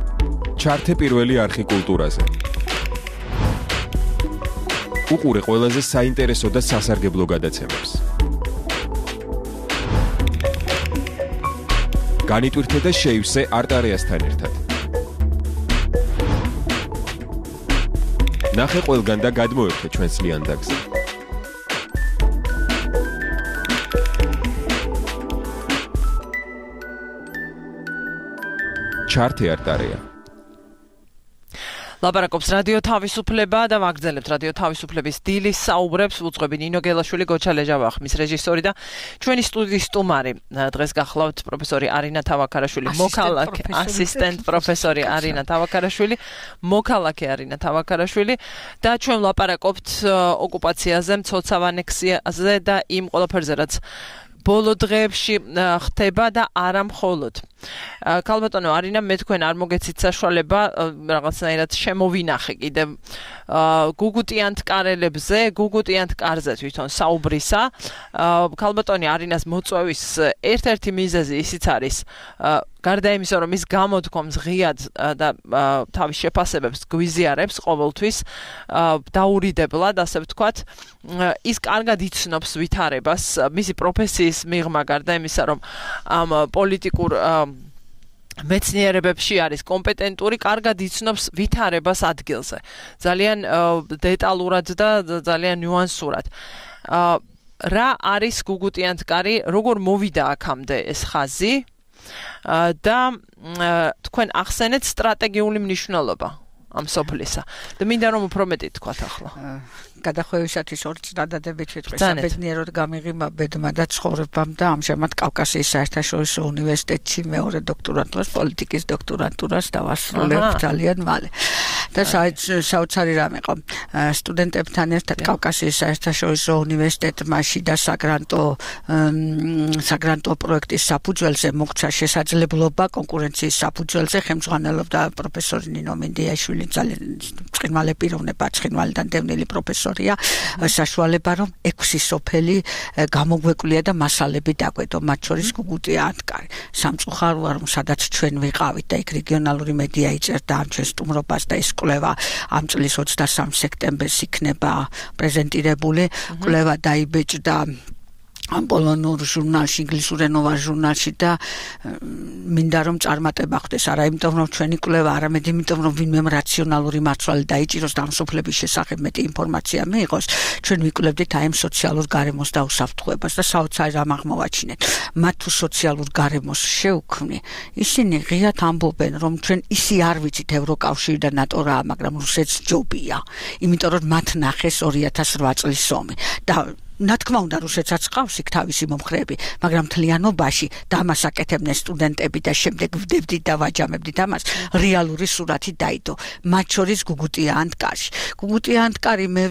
ჩართე პირველი არხი კულტურაზე. უყურე ყველაზე საინტერესო და სასარგებლო გადაცემებს. განიტვირთე და შეივსე არტარეასთან ერთად. ნახე ყველგან და გადმოერთე ჩვენს ლიანდაგზე. ჩართე არტარეა. ლაპარაკობს რადიო თავისუფლება და ვაგრძელებთ რადიო თავისუფლების დილის საუბრებს. უძღვები ნინო გელაშვილი, გოჩა ლეჟავახმის რეჟისორი და ჩვენი სტუდიის სტუმარი. დღეს გახლავთ პროფესორი არინა თავაქარაშვილი, მოქალაქე, ასისტენტ პროფესორი არინა თავაქარაშვილი, მოქალაქე არინა თავაქარაშვილი და ჩვენ ლაპარაკობთ ოკუპაციაზე, მცოცავ ანექსიაზე და იმ ყველაფერზე, რაც ბოლო დღეებში ხდება და არა მხოლოდ. ქალბატონო არინა, მე თქვენ არ მოგეცით საშუალება რაღაცნაირად შემოვინახე კიდევ გუგუტიანთ კარელებზე, გუგუტიანთ კარზე თვითონ საუბრისა. ქალბატონი არინას მოწვევის ერთ-ერთი მიზეზი ისიც არის, გარდა იმისა, რომ ის გამოდგომს ღიად და თავის შეფასებებს გვიზიარებს ყოველთვის დაურიდებლად, ასე ვთქვათ, ის კარგად იცნობს ვითარებას, მისი პროფესიის მიღმა, გარდა იმისა, რომ ამ პოლიტიკურ მეცნიერებებში არის კომპეტენტური, კარგად იცნობს ვითარებას ადგილზე. ძალიან დეტალურად და ძალიან ნიუანსურად. რა არის გუგუტიანთკარი, როგორ მოვიდა აქამდე ეს ხაზი და თქვენ ახსენეთ სტრატეგიული მნიშვნელობა ამ სოფლისა. და მინდა რომ უფრო მეტი თქვათ ახლა. გადახვევისათვის ორი წინადადებით ვიტყვი, საბედნიეროდ გამიღიმა ბედმა და ცხოვრებამ და ამჟამად კავკასიის საერთაშორისო უნივერსიტეტში მეორე დოქტორანტურას, პოლიტიკის დოქტორანტურას დავასრულებ ძალიან მალე. და საოცარი რამე იყო, სტუდენტებთან ერთად კავკასიის საერთაშორისო უნივერსიტეტმა შიდა საგრანტო პროექტის საფუძველზე მოგცა შესაძლებლობა კონკურენციის საფუძველზე ხელმძღვანელობდა პროფესორი ნინო მინდიაშვილი, ძალიან ბრწყინვალე პიროვნება, ბრწყინვალე და დევნილი პროფესორია, საშუალება რომ 6 სოფელი გამოგვეკვლია და მასალები დაგვედო, მათ შორის გუგუტიანთკარი. სამწუხაროა რომ სადაც ჩვენ ვიყავით და იქ რეგიონალური მედია იწერდა ამ ჩვენ სტუმრობას და ეს კვლევა ამ წლის 23 სექტემბერს იქნება პრეზენტირებული, კვლევა დაიბეჭდა ამ პოლონურ ჟურნალში, ინგლისურენოვან ჟურნალში და მინდა რომ წარმატება ხდეს, არა იმიტომ რომ ჩვენი კვლევა, არამედ იმიტომ რომ ვინმე რაციონალური მარცვალი დაიჭიროს და ამ სოფლების შესახებ მეტი ინფორმაცია მიიღოს, ჩვენ ვიკვლევდით აი ამ სოციალურ გარემოს დაუსაფრთხოებას და საოცარი რამ აღმოვაჩინეთ. მათ თუ სოციალურ გარემოს შევქმნი, ისინი ღიად ამბობენ, რომ ჩვენ ისი არ ვიცით ევროკავშირი და ნატო რა, მაგრამ რუსეთს ჯობია, იმიტომ რომ მათ ნახეს 2008 წლის ომი და რა თქმა უნდა რუსეთსაც ყავს იქ თავისი მომხრეები, მაგრამ მთლიანობაში დამას აკეთებდნენ სტუდენტები და შემდეგ ვდებდით და ვაჯამებდით ამას, რეალური სურათი დაიდო, მათ შორის გუგუტიანთკარში. გუგუტიანთკარი მე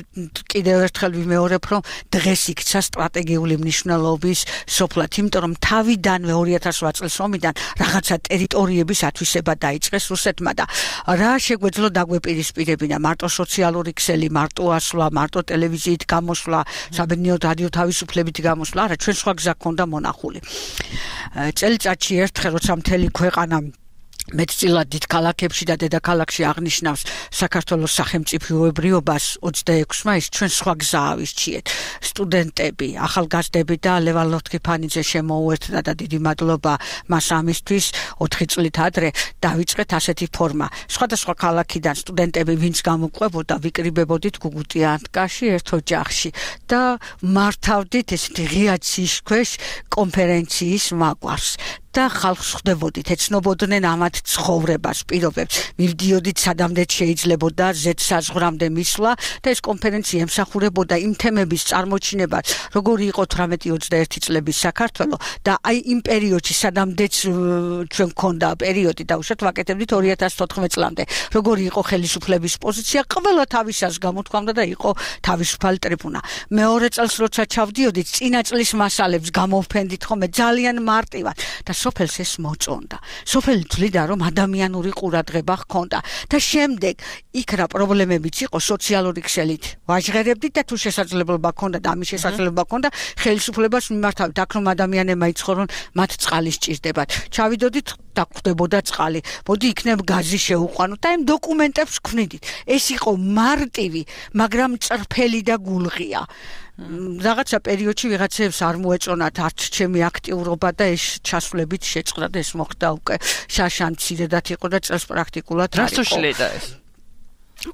კიდევ ერთხელ ვიმეორებ, რომ დღეს იქცა სტრატეგიული მნიშვნელობის სოფლად, იმიტომ რომ თავიდანვე 2008 წლის ომიდან რაღაცა ტერიტორიების ათვისება დაიწყეს რუსეთმა და რა შეგვეძლო დაგვეპირისპირებინა, მარტო სოციალური ქსელი, მარტო ასვლა, მარტო ტელევიზიით გამოსვლა, საბედნიეროდ რადიო თავისუფლებით გამოსვლა, არა, ჩვენ სხვა გზა გქონდა მონახული. წელიწადში ერთხელ, როცა მთელი ქვეყანა მეტწილად დიდ ქალაქებში და დედაქალაქში აღნიშნავს საქართველოს სახელმწიფოებრიობას 26 მაისს, ჩვენ სხვა გზა ავირჩიეთ. სტუდენტები, ახალგაზრდები და ლევან ლოთქიფანიძე შემოუერთდა და დიდი მადლობა მას ამისთვის 4 წლით ადრე დავიწყეთ ასეთი ფორმა. სხვადასხვა ქალაქიდან სტუდენტები, ვინც გამოყვებოდა, ვიკრიბებოდით გუგუტიანთკარში ერთ ოჯახში და მართავდით ესეთი ღია ცის ქვეშ კონფერენციის მაგვარს. და ხალხს ხვდებოდით, ეცნობოდნენ ამათ ცხოვრებას, პირობებს, მივდიოდით სადამდეც შეიძლებოდა ზედსაზღვრამდე მისვლა და ეს კონფერენცია ემსახურებოდა იმ თემების წარმოჩინებას, როგორი იყო 18-21 წლების საქართველო და აი იმ პერიოდში სადამდეც ჩვენ გქონდა პერიოდი და უშოთ ვაკეთებდით 2014 წლამდე, როგორი იყო ხელისუფლების პოზიცია, ყველა თავისას გამოთქვამდა და იყო თავისუფალი ტრიბუნა. მეორე წელს როცა ჩავდიოდით, წინა წლის მასალებს გამოვფენდით ხოლმე ძალიან მარტივად და სოფელს ეს მოწონდა. სოფელი თვლიდა, რომ ადამიანური ყურადღება ჰქონდა და შემდეგ იქ რა პრობლემებიც იყო სოციალური ქსელით ვაჟღერებდით და თუ შესაძლებლობა ჰქონდა და ამის შესაძლებლობა ჰქონდა ხელისუფლებას მიმართავთ, აქ რომ ადამიანებმა იცხოვრონ, მათ წყალი სჭირდებათ. ჩავიდოდით და გვხვდებოდა წყალი. მოდი იქნებ გაზი შეუყვანოთ და იმ დოკუმენტებს გვქნიდით. ეს იყო მარტივი, მაგრამ წრფელი და გულღია. რაღაცა პერიოდში ვიღაცებს არ მოეწონათ არც ჩემი აქტიურობა და ეს ჩასვლებით შეწყდა და ეს მოხდა უკვე შაშან მცირედად იყო და წელს პრაქტიკულად არ იყო. რას უშლიდა ეს?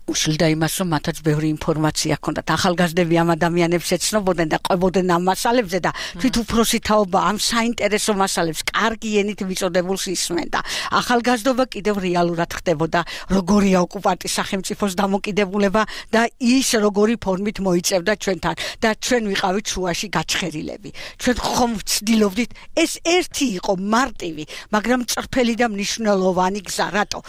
უშლიდა იმას, რომ მათაც ბევრი ინფორმაცია ჰქონდათ. ახალგაზრდები ამ ადამიანებს ეცნობოდნენ და ყვებოდნენ ამ მასალებზე და თვით უფროსი თაობა ამ საინტერესო მასალებს კარგი ენით მიწოდებულს ისმენდა. ახალგაზრდობა კიდევ რეალურად ხდებოდა, როგორია ოკუპანტის სახელმწიფოს დამოკიდებულება და ის როგორი ფორმით მოიწევდა ჩვენთან და ჩვენ ვიყავით შუაში გაჩხერილები. ჩვენ ხომ ვცდილობდით, ეს ერთი იყო მარტივი, მაგრამ წრფელი და მნიშვნელოვანი გზა, რატო?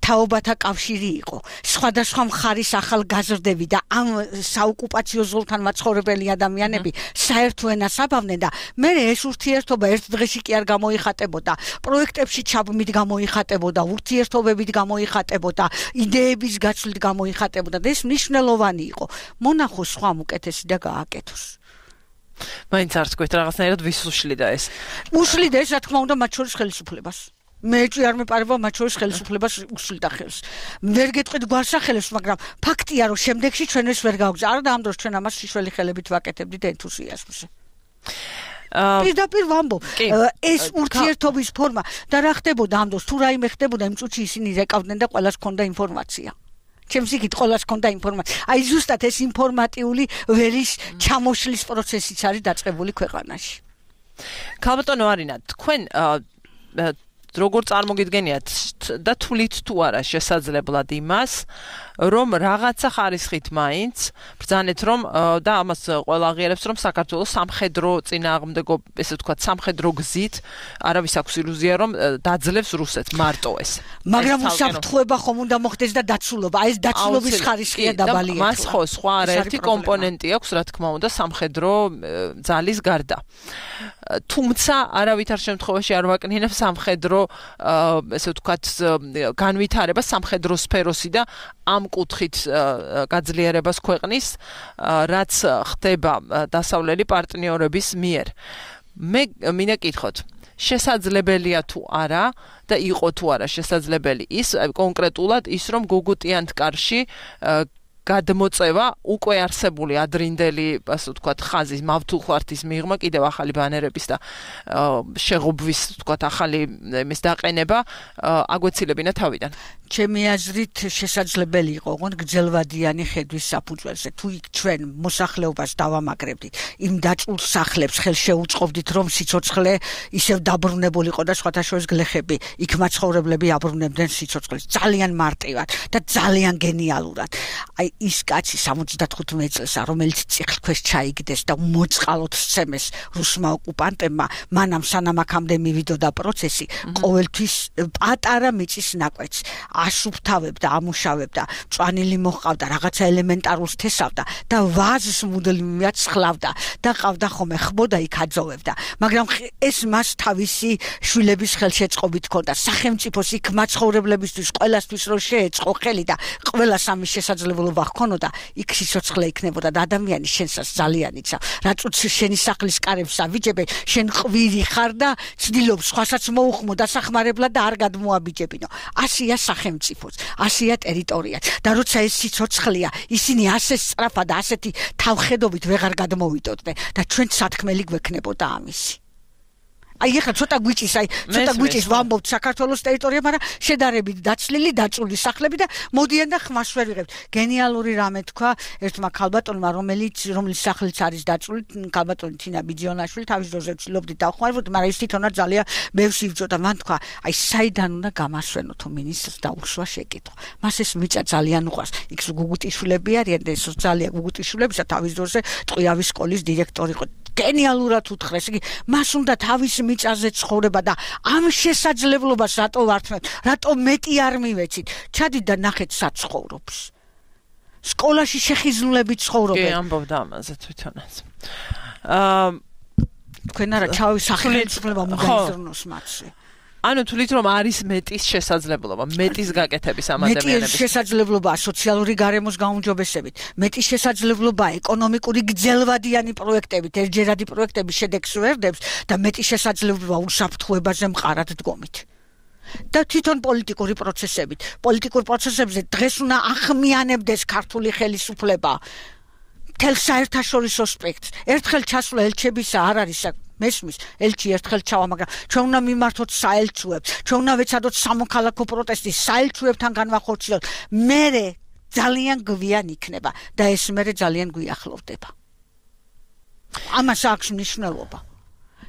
თაობათა კავშირი იყო. სხვადასხვა მხარის ახალგაზრდები და ამ საოკუპაციო ზოლთან მაცხოვრებელი ადამიანები საერთო ენას აბავდნენ და მე ეს ურთიერთობა ერთ დღეში კი არ გამოიხატებოდა. პროექტებში ჩაბმით გამოიხატებოდა, ურთიერთობებით გამოიხატებოდა, იდეების გაცვლით გამოიხატებოდა და ეს მნიშვნელოვანი იყო. მონახოს სხვა უკეთესი და გააკეთოს. მაინც არც გვეთ რაღაცნაირად ვის უშლიდა ეს? უშლიდა ეს, რა თქმა უნდა, მათ შორის ხელისუფლებას. მე არ მეპარება მათ შორის ხელისუფლებას უშლიდა ხელს. ვერ გეტყვით გვარსახელებს, მაგრამ ფაქტია, რომ შემდეგში ჩვენ ეს ვერ გავგზავნა. არა და ამ დროს ჩვენ ამას შიშველი ხელებით ვაკეთებდით ენთუზიაზმზე. პირდაპირ ვამბობ, ეს ურთიერთობის ფორმა და რა ხდებოდა ამ დროს, თუ რაიმე ხდებოდა, იმ წუთში ისინი რეკავდნენ და ყველას ჰქონდა ინფორმაცია. ჩემს იქით ყველას ჰქონდა ინფორმაცია. აი ზუსტად ეს ინფორმატიული ვერის ჩამოშლის პროცესიც არის დაწყებული ქვეყანაში. ქალბატონო არინა, თქვენ როგორ წარმოგიდგენიათ და თვლით თუ არა შესაძლებლად იმას, რომ რაღაცა ხარისხით მაინც ბრძანეთ, რომ და ამას ყველა აღიარებს, რომ საქართველოს სამხედრო წინააღმდეგო, ესე ვთქვათ, სამხედრო გზით არავის აქვს ილუზია, რომ დაძლევს რუსეთს მარტო ეს. მაგრამ უსაფრთხოება ხომ უნდა მოხდეს და დაცულობა. ეს დაცულობის ხარისხია დაბალი. მას ხო სხვა არაერთი კომპონენტი აქვს, რა თქმა უნდა, სამხედრო ძალის გარდა. თუმცა არავითარ შემთხვევაში არ ვაკნინებ სამხედრო ესე ვთქვათ განვითარება სამხედრო სფეროსი და ამ კუთხით გაძლიერებას ქვეყნის, რაც ხდება დასავლელი პარტნიორების მიერ. მე მინდა კითხოთ, შესაძლებელია თუ არა და იყო თუ არა შესაძლებელი ის კონკრეტულად ის, რომ გუგუტიანთ კარში გადმოწევა უკვე არსებული ადრინდელი, ასე ვთქვათ, ხაზის მავთულხვართის მიღმა კიდევ ახალი ბანერების და შეღობვის, ვთქვათ, ახალი იმის დაყენება აგვეცილებინა თავიდან. ჩემი აზრით შესაძლებელი იყო, ოღონდ გრძელვადიანი ხედვის საფუძველზე. თუ იქ ჩვენ მოსახლეობას დავამაგრებდით, იმ დაწულ სახლებს ხელს შეუწყობდით, რომ სიცოცხლე ისევ დაბრუნებულიყო და სხვათა შორის გლეხები, იქ მაცხოვრებლები აბრუნებდნენ სიცოცხლეს ძალიან მარტივად და ძალიან გენიალურად. აი ის კაცი 75 წელსა, რომელიც წიხლქვეშ ჩაიგდეს და მოწყალოთ სცემეს რუსმა ოკუპანტებმა, მანამ სანამ აქამდე მივიდოდა პროცესი, ყოველთვის პატარა მიწის ნაკვეთს აშუფთავებდა, ამუშავებდა, მწვანილი მოჰყავდა, რაღაცა ელემენტარულს თესავდა და ვაზს მუდმივად სხლავდა და ყავდა ხოლმე ხბოდა იქ აძოვებდა. მაგრამ ეს მას თავისი შვილების ხელშეწყობით ჰქონდა. სახელმწიფოს იქ მაცხოვრებლებისთვის ყველასთვის რომ შეეწყო ხელი და ყველას ამის შესაძლებლობა ჰქონოდა, იქ სიცოცხლე იქნებოდა და ადამიანი შენსაც ძალიან იცავ. რაწუც შენი სახლის კარებს ავიჯებე, შენ ყვირი ხარ და ცდილობ სხვასაც მოუხმო დასახმარებლად და არ გადმოაბიჯებინო. ასია სახელმწიფოც, ასია ტერიტორიაც. და როცა ეს სიცოცხლეა, ისინი ასე სწრაფად და ასეთი თავხედობით ვეღარ გადმოვიდოდნენ და ჩვენ სათქმელი გვექნებოდა ამისი. აი ეხლა ცოტა გვიჭის ვამბობთ საქართველოს ტერიტორია, მაგრამ შედარებით დაცლილი, დაწული სახლები და მოდიან და ხმას ვერ ვიღებთ. გენიალური რამე თქვა ერთმა ქალბატონმა, რომელიც სახლიც არის დაწული, ქალბატონი თინა ბიძიონაშვილი, თავის დროზე ვცდილობდით დავხმარებოდ, მაგრამ ის თვითონაც ძალიან ბევრს იბრძოდა. მან თქვა, აი საიდან უნდა გამასვენო თუ მინისტრს დაუსვა შეკითხვა. მას ეს მიწა ძალიან უყვარს. იქ გუგუტიშვილები არიან და ეს ძალიან გუგუტიშვილებისა თავის დროზე ტყვიავის სკოლის დირექტორი იყო. გენიალურად უთხრეს, იგი მას უნდა თავის მიწაზე ცხოვრება და ამ შესაძლებლობას რატო ვართმევთ, რატო მეტი არ მივეცით. ჩადით და ნახეთ საცხოვრობს. სკოლაში შეხიზნულებით ცხოვრობენ. კი, ამბობდა ამაზე თვითონაც. თქვენ არა სახელმწიფო მოგაიზრნოს მათზე. ანუ თulit რომ არის მეტის შესაძლებლობა, მეტის გაკეთების ამ ადამიანების. მეტის შესაძლებლობაა სოციალური გარემოს გაუმჯობესებით, მეტის შესაძლებლობაა ეკონომიკური გრძელვადიანი პროექტებით, ერთჯერადი პროექტების შედეგს ვერდებს და მეტის შესაძლებლობაა უსაფრთხოებაზე მყარად დგომით. და თვითონ პოლიტიკური პროცესებით. პოლიტიკურ პროცესებზე დღეს უნდა ახმიანებდეს ქართული ხელისუფლება. მთელ საერთაშორისო სპექტრს. ერთხელ ჩასვლა ელჩებისა არ არის მესმის ელჩი ერთხელ ჩავა, მაგრამ ჩვენ უნდა მიმართოთ საელჩოებს, ჩვენ უნდა ვეცადოთ სამოქალაქო პროტესტი საელჩოებთან განვახორციელოთ. მერე ძალიან გვიან იქნება და ეს მერე ძალიან გვიახლოვდება. ამას აქვს მნიშვნელობა.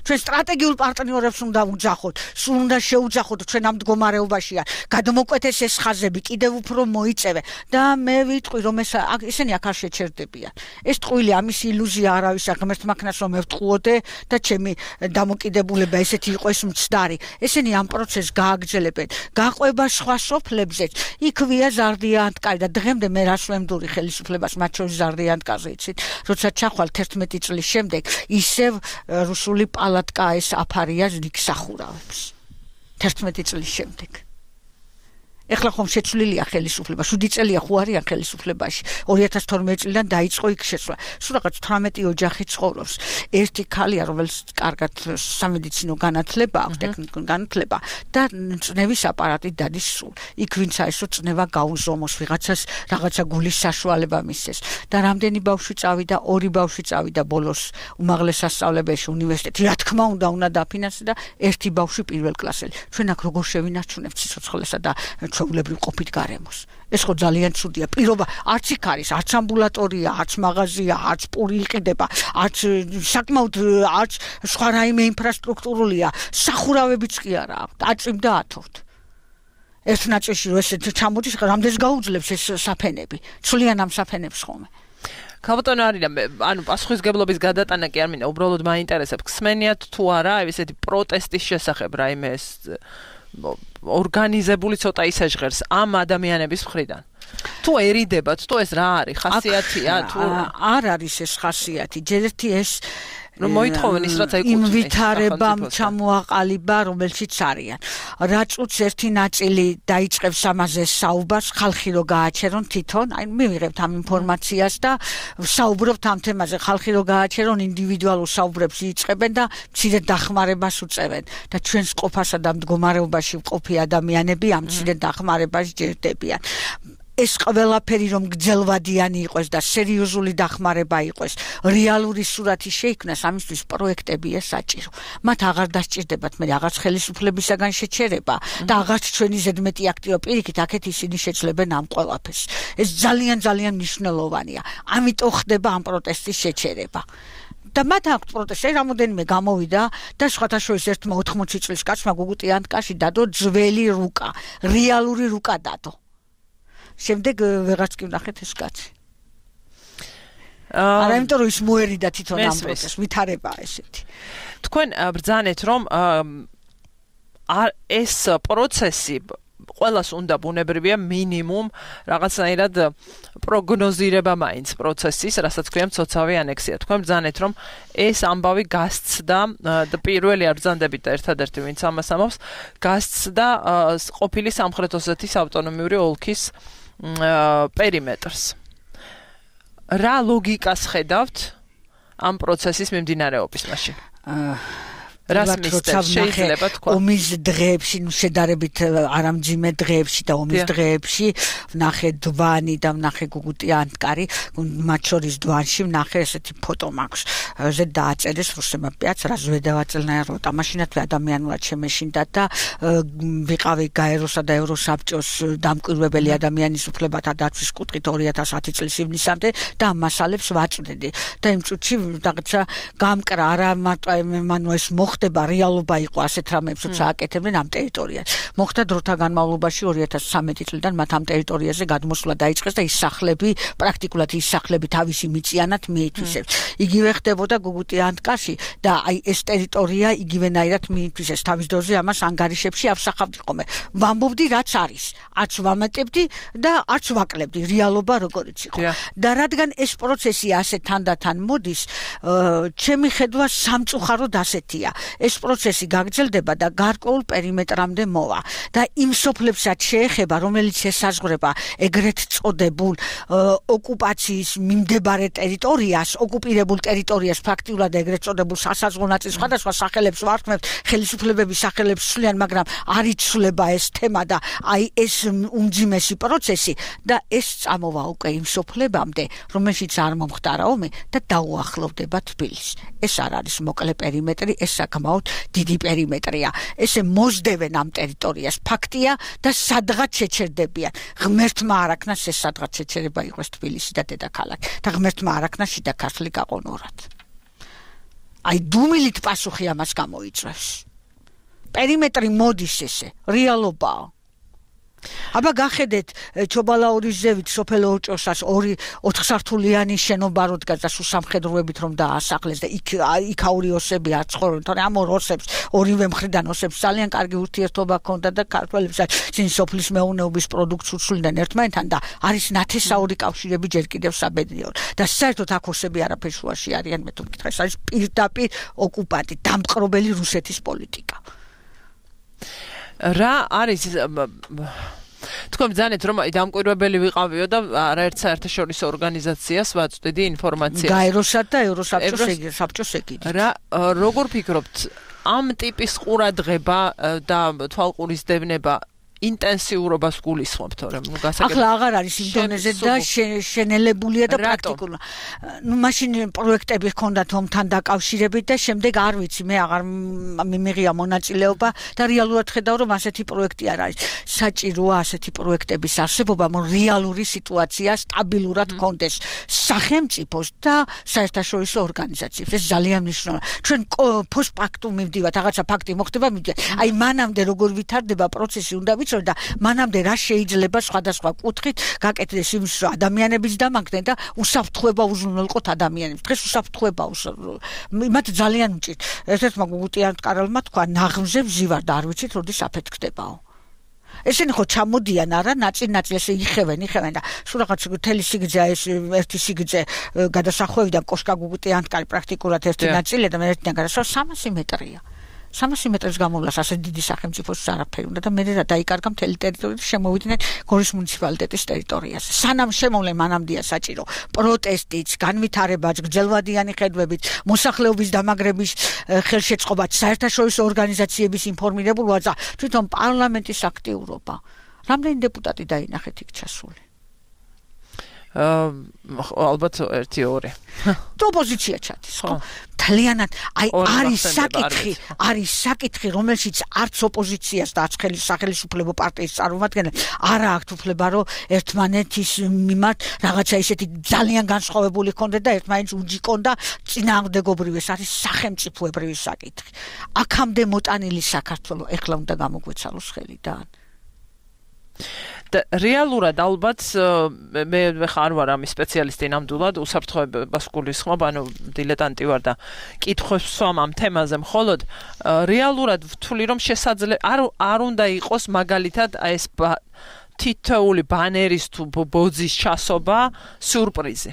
ჩვენ სტრატეგიულ პარტნიორებს უნდა ვუძახოთ, სულ უნდა შეუძახოთ ჩვენ ამ მდგომარეობაშია. გადმოკვეთეს ეს ხაზები, კიდევ უფრო მოიწევე და მე ვიტყვი რომ ესენი აქ არ შეჩერდებიან. ეს ტყუილი ამის ილუზია არავის არ ღმერთმა ქნას რომ მევტყუოდე და ჩემი დამოკიდებულება ესეთი იყო ეს მცდარი. ესენი ამ პროცესს გააგრძელებენ. გაყვება სხვა სოფლებზეც. იქვია ზარდიანტკარი და დღემდე მე რას ვემდური ხელისუფლებას მათ შორის ზარდიანტკაზე იცით, როცა ჩახვალ 11 წლის შემდეგ ისევ რუსული პალატკა ეს აფარია ზრიქსახურავებს 11 წლის შემდეგ. ეხლა ხომ შეცვლილია ხელისუფლება, 7 წელია ხო არიან ხელისუფლებაში. 2012 წლიდან დაიწყო იქ შეცვლა. სულ რაღაც 18 ოჯახი ცხოვრობს. ერთი ქალია, რომელიც კარგად სამედიცინო განათლება აქვს, ტექნიკური განათლება და წნევის აპარატით დადის სულ. იქ ვინც აესო წნება გაუზომოს, ვიღაცას რაღაცა გულის საშუალება მისცეს. და რამდენი ბავშვი წავიდა, 2 ბავშვი წავიდა ბოლოს უმაღლეს სასწავლებელში უნივერსიტეტში. რა თქმა უნდა დაფინანსდა და ერთი ბავშვი პირველ კლასელი. ჩვენ აქ როგორ შევინარჩუნებთ სიცოცხლესა და ჩვეულებრივ ყოფით გარემოს. ეს ხო ძალიან ცუდია. პირობა არც იქ არის, არც ამბულატორია, არც მაღაზია, არც პური იყიდება, არც საკმაოდ არც სხვა რაიმე ინფრასტრუქტურულია. სახურავებიც კი არა აქვს. აწვიმ და ათოვთ. ეს ნაწილში რომ ესე ჩამოდის, რამდენს გაუძლებს ეს საფენები. ცვლიან ამ საფენებს ხოლმე. ქალბატონო არინა, ანუ პასუხისგებლობის გადატანა კი არ მინდა, უბრალოდ მაინტერესებს. ხსმენიათ თუ არა, აი ესეთი პროტესტის შესახებ რაიმე ეს ორგანიზებული ცოტა ისეჟღერს ამ ადამიანების მხრიდან. თუ ერიდებათ, თუ ეს რა არის, ხასიათია, თუ არ არის ეს ხასიათი, ჯერ ერთი ეს რომ მოითხოვენ ის რაც ეკუთვნის ინვითარებამ ჩამოაყალიბა, რომელშიც არიან. რაწუც ერთი ნაწილი დაიწყებს ამაზე საუბარს, ხალხი რო გააჩერონ თვითონ, აი მივიღებთ ამ ინფორმაციას და საუბრობთ ამ თემაზე, ხალხი რო გააჩერონ ინდივიდუალურ საუბრებს იწყებენ და მცირე დახმარებას უწევენ და ჩვენს ყოფასა და მდგომარეობაში მყოფი ადამიანები ამ მცირე დახმარებას ჯერდებიან. ეს ყველაფერი რომ გრძელვადიანი იყოს და სერიოზული დახმარება იყოს, რეალური სურათი შეიქმნას, ამისთვის პროექტებია საჭირო. მათ აღარ დასჭირდებათ მე რაღაც ხელისუფლებისაგან შეჩერება და აღარც ჩვენი ზედმეტი აქტიო პირიქით აქეთ ისინი შეძლებენ ამ ყველაფერს. ეს ძალიან მნიშვნელოვანია. ამიტომ ხდება ამ პროტესტის შეჩერება. და მათ აქვს პროტესტი, რამოდენიმე გამოვიდა და სხვათა შორის ერთმა 80 წლის კაცმა გუგუტიანტკაში დადო ძველი რუკა, რეალური რუკა დადო. შემდეგ ვეღარც კი ვნახეთ ეს კაცი. არა, იმიტომ რომ ის მოერიდა თვითონ ამ პროცესს, ვითარებაა ესეთი. თქვენ ბრძანეთ რომ ეს პროცესი ყველას უნდა ბუნებრივია მინიმუმ რაღაცნაირად პროგნოზირება მაინც პროცესის, რასაც ქვია მცოცავი ანექსია. თქვენ ბრძანეთ რომ ეს ამბავი გასცდა და პირველი არ ბრძანდებით და ერთადერთი ვინც ამას ამბობს, გასცდა ყოფილი სამხრეთ ოსეთის ავტონომიური ოლქის პერიმეტრს. რა ლოგიკას ხედავთ ამ პროცესის მიმდინარეობის მაშინ? რას მისდევს შეიძლება თქვა ომის დღეებში შედარებით არამძიმე დღეებში და ომის დღეებში ვნახე დვანი და ვნახე გუგუტი ანტკარი მათ შორის დვანში ვნახე ესეთი ფოტო მაქვს ზე დააწერეს რუსებმა პიაც რაზვე დავაწელნაირო თამაშინათ ადამიანურად შემეშინდა და ვიყავი გაეროსა და ევროსაბჭოს დამკვირვებელი ადამიანის უფლებათა დაცვის კუთხით 2010 წლის ივნისამდე და ამ მასალებს ვაწვდიდი და იმ წუთში რაღაცა გამკრა არა მარტო მანუ ეს მოხდება რეალობა იყო ასეთ რამებსაც ააკეთებდნენ ამ ტერიტორიას მოხდა დროთა განმავლობაში 2013 წლიდან მათ ამ ტერიტორიაზე გადმოსვლა დაიწყეს და ის სახლები პრაქტიკულად ის სახლები თავისი მიწიანად მიითვისებს იგივე ხდებოდა გუგუტი ანტკაში და აი ეს ტერიტორია იგივენაირად მიითვისეს თავის დროზე ამას ანგარიშებში ავსახავდი ხოლმე ვამბობდი რაც არის არც ვამატებდი და არც ვაკლებდი რეალობა როგორიც იყო და რადგან ეს პროცესი ასე თანდათან მოდის ჩემი ხედვა სამწუხაროდ ასეთია ეს პროცესი გაგრძელდება და გარკვეულ პერიმეტრამდე მოვა და იმ სოფლებსაც შეეხება რომელიც ესაზღვრება ეგრეთ წოდებულ ოკუპაციის მიმდებარე ტერიტორიას ოკუპირებულ ტერიტორიას ფაქტიურად ეგრეთ წოდებულ სასაზღვრო ნაწილს სხვადასხვა სახელებს ვარქმევთ ხელისუფლებების სახელებს სვლიან მაგრამ არ იცვლება ეს თემა და აი ეს უმძიმესი პროცესი და ეს წამოვა უკვე იმ სოფლებამდე რომელშიც არ მომხდარა ომი და დაუახლოვდება თბილისს ეს არ არის მოკლე პერიმეტრი ეს საკმაოდ დიდი პერიმეტრია ესე მოსდევენ ამ ტერიტორიას ფაქტია და სადღაც შეჩერდებიან ღმერთმა არაქნას ეს სადღაც შეჩერება იყოს თბილისი და დედაქალაქი და ღმერთმა არაქნას შიდა ქართლი გაყონორად აი დუმილით პასუხი ამას გამოიწვევს პერიმეტრი მოდის ესე რეალობაა აბა გახედეთ ჩობალაურის ზევით სოფელ ოჭოსას 4 სართულიანი შენობა როდგას და სამხედროებით რომ დაასახლეს და იქაური ოსები არ ცხოვრობენ თორე ამ ოსებს ორივე მხრიდან ოსებს ძალიან კარგი ურთიერთობა ჰქონდა და ქართველებსაც წინ სოფლის მეურნეობის პროდუქტს უცვლიდნენ ერთმანეთთან და არის ნათესაური კავშირები ჯერ კიდევ საბედნიეროდ და საერთოდ აქ ოსები არაფერ შუაში არიან მე თუ მკითხე ეს არის პირდაპირ ოკუპანტი დამპყრობელი რუსეთის პოლიტიკა რა არის თქვენ ბძანეთ რომ დამკვირვებელი ვიყავიო და არაერთ საერთაშორისო ორგანიზაციას ვაწვდიდი ინფორმაციას გაეროსა და ევროსაბჭოს ეკიდი რა როგორ ფიქრობთ ამ ტიპის ყურადღება და თვალყურის დევნება ინტენსიურობას გულისხმობ თორემ გასაგებია ახლა აღარ არის იმ დონეზე და შენელებულია და პრაქტიკულად ნუ მაშინ პროექტები ჰქონდათ ომთან დაკავშირებით და შემდეგ არ ვიცი მე აღარ მიმიღია მონაწილეობა და რეალურად ხედავ რომ ასეთი პროექტი არ არის საჭიროა ასეთი პროექტების არსებობა რომ რეალური სიტუაცია სტაბილურად ჰქონდეს სახელმწიფოს და საერთაშორისო ორგანიზაციებს ეს ძალიან მნიშვნელოვანია ჩვენ პოსტფაქტუმ მივდივართ რაღაცა ფაქტი მოხდება აი მანამდე როგორ ვითარდება პროცესი უნდა და მანამდე რა შეიძლება სხვადასხვა კუთხით გაკეთდეს იმის რომ ადამიანებიც დამაგდნენ და უსაფრთხოება უზრუნველყოთ ადამიანებს დღეს უსაფრთხოება მათ ძალიან უჭირთ ერთ-ერთმა გუგუტი ანტკარელმა თქვა ნაღმზე ვზივარ და არ ვიცით როდის აფეთქდებაო ესენი ხო ჩამოდიან არა ნაწილ-ნაწილ ესე იხევენ და სულ რაღაც თელი სიგრძე ეს ერთი სიგრძე გადასახვევიდან კოშკა გუგუტი ანტკარი პრაქტიკულად ერთი ნაწილი და მე ერთიდან გადასვა 300 მეტრია 300 მეტრს გამოვლას ასე დიდი სახელმწიფოს არაფერი უნდა და მე რა დაიკარგა მთელი ტერიტორია შემოვიდნენ გორის მუნიციპალიტეტის ტერიტორიაზე სანამ შემოვლენ მანამდეა საჭირო პროტესტიც განვითარებაც გრძელვადიანი ხედვებით მოსახლეობის დამაგრების ხელშეწყობაც საერთაშორისო ორგანიზაციების ინფორმირებულობა და თვითონ პარლამენტის აქტიურობა რამდენი დეპუტატი დაინახეთ იქ ჩასული ალბათ 1-2 ოპოზიცია ჩადის ხო თლიანად აი არის საკითხი რომელშიც არც ოპოზიციას და არც სახელმწიფო პარტიის წარმომადგენლებს არა აქვთ უფლება რომ ერთმანეთის მიმართ რაღაცა ისეთი ძალიან განსხვავებული ჰქონდეთ და ერთმანეთს უჯიკონ და წინააღმდეგობრივი ეს არის სახელმწიფოებრივი საკითხი აქამდე მოტანილი საქართველოს ეხლა უნდა გამოგვეცალოს ხელიდან და რეალურად ალბათ მე ხარ ვარ ამის სპეციალისტი ნამდვილად უსაფრთხოებას გულისხმობ ანუ დილეტანტი ვარ და კითხვებს ვსვამ ამ თემაზე მხოლოდ რეალურად ვთვლი რომ შესაძლებელი არ უნდა იყოს მაგალითად ეს თითოეული ბანერის თუ ბოძის ჩასობა სიურპრიზი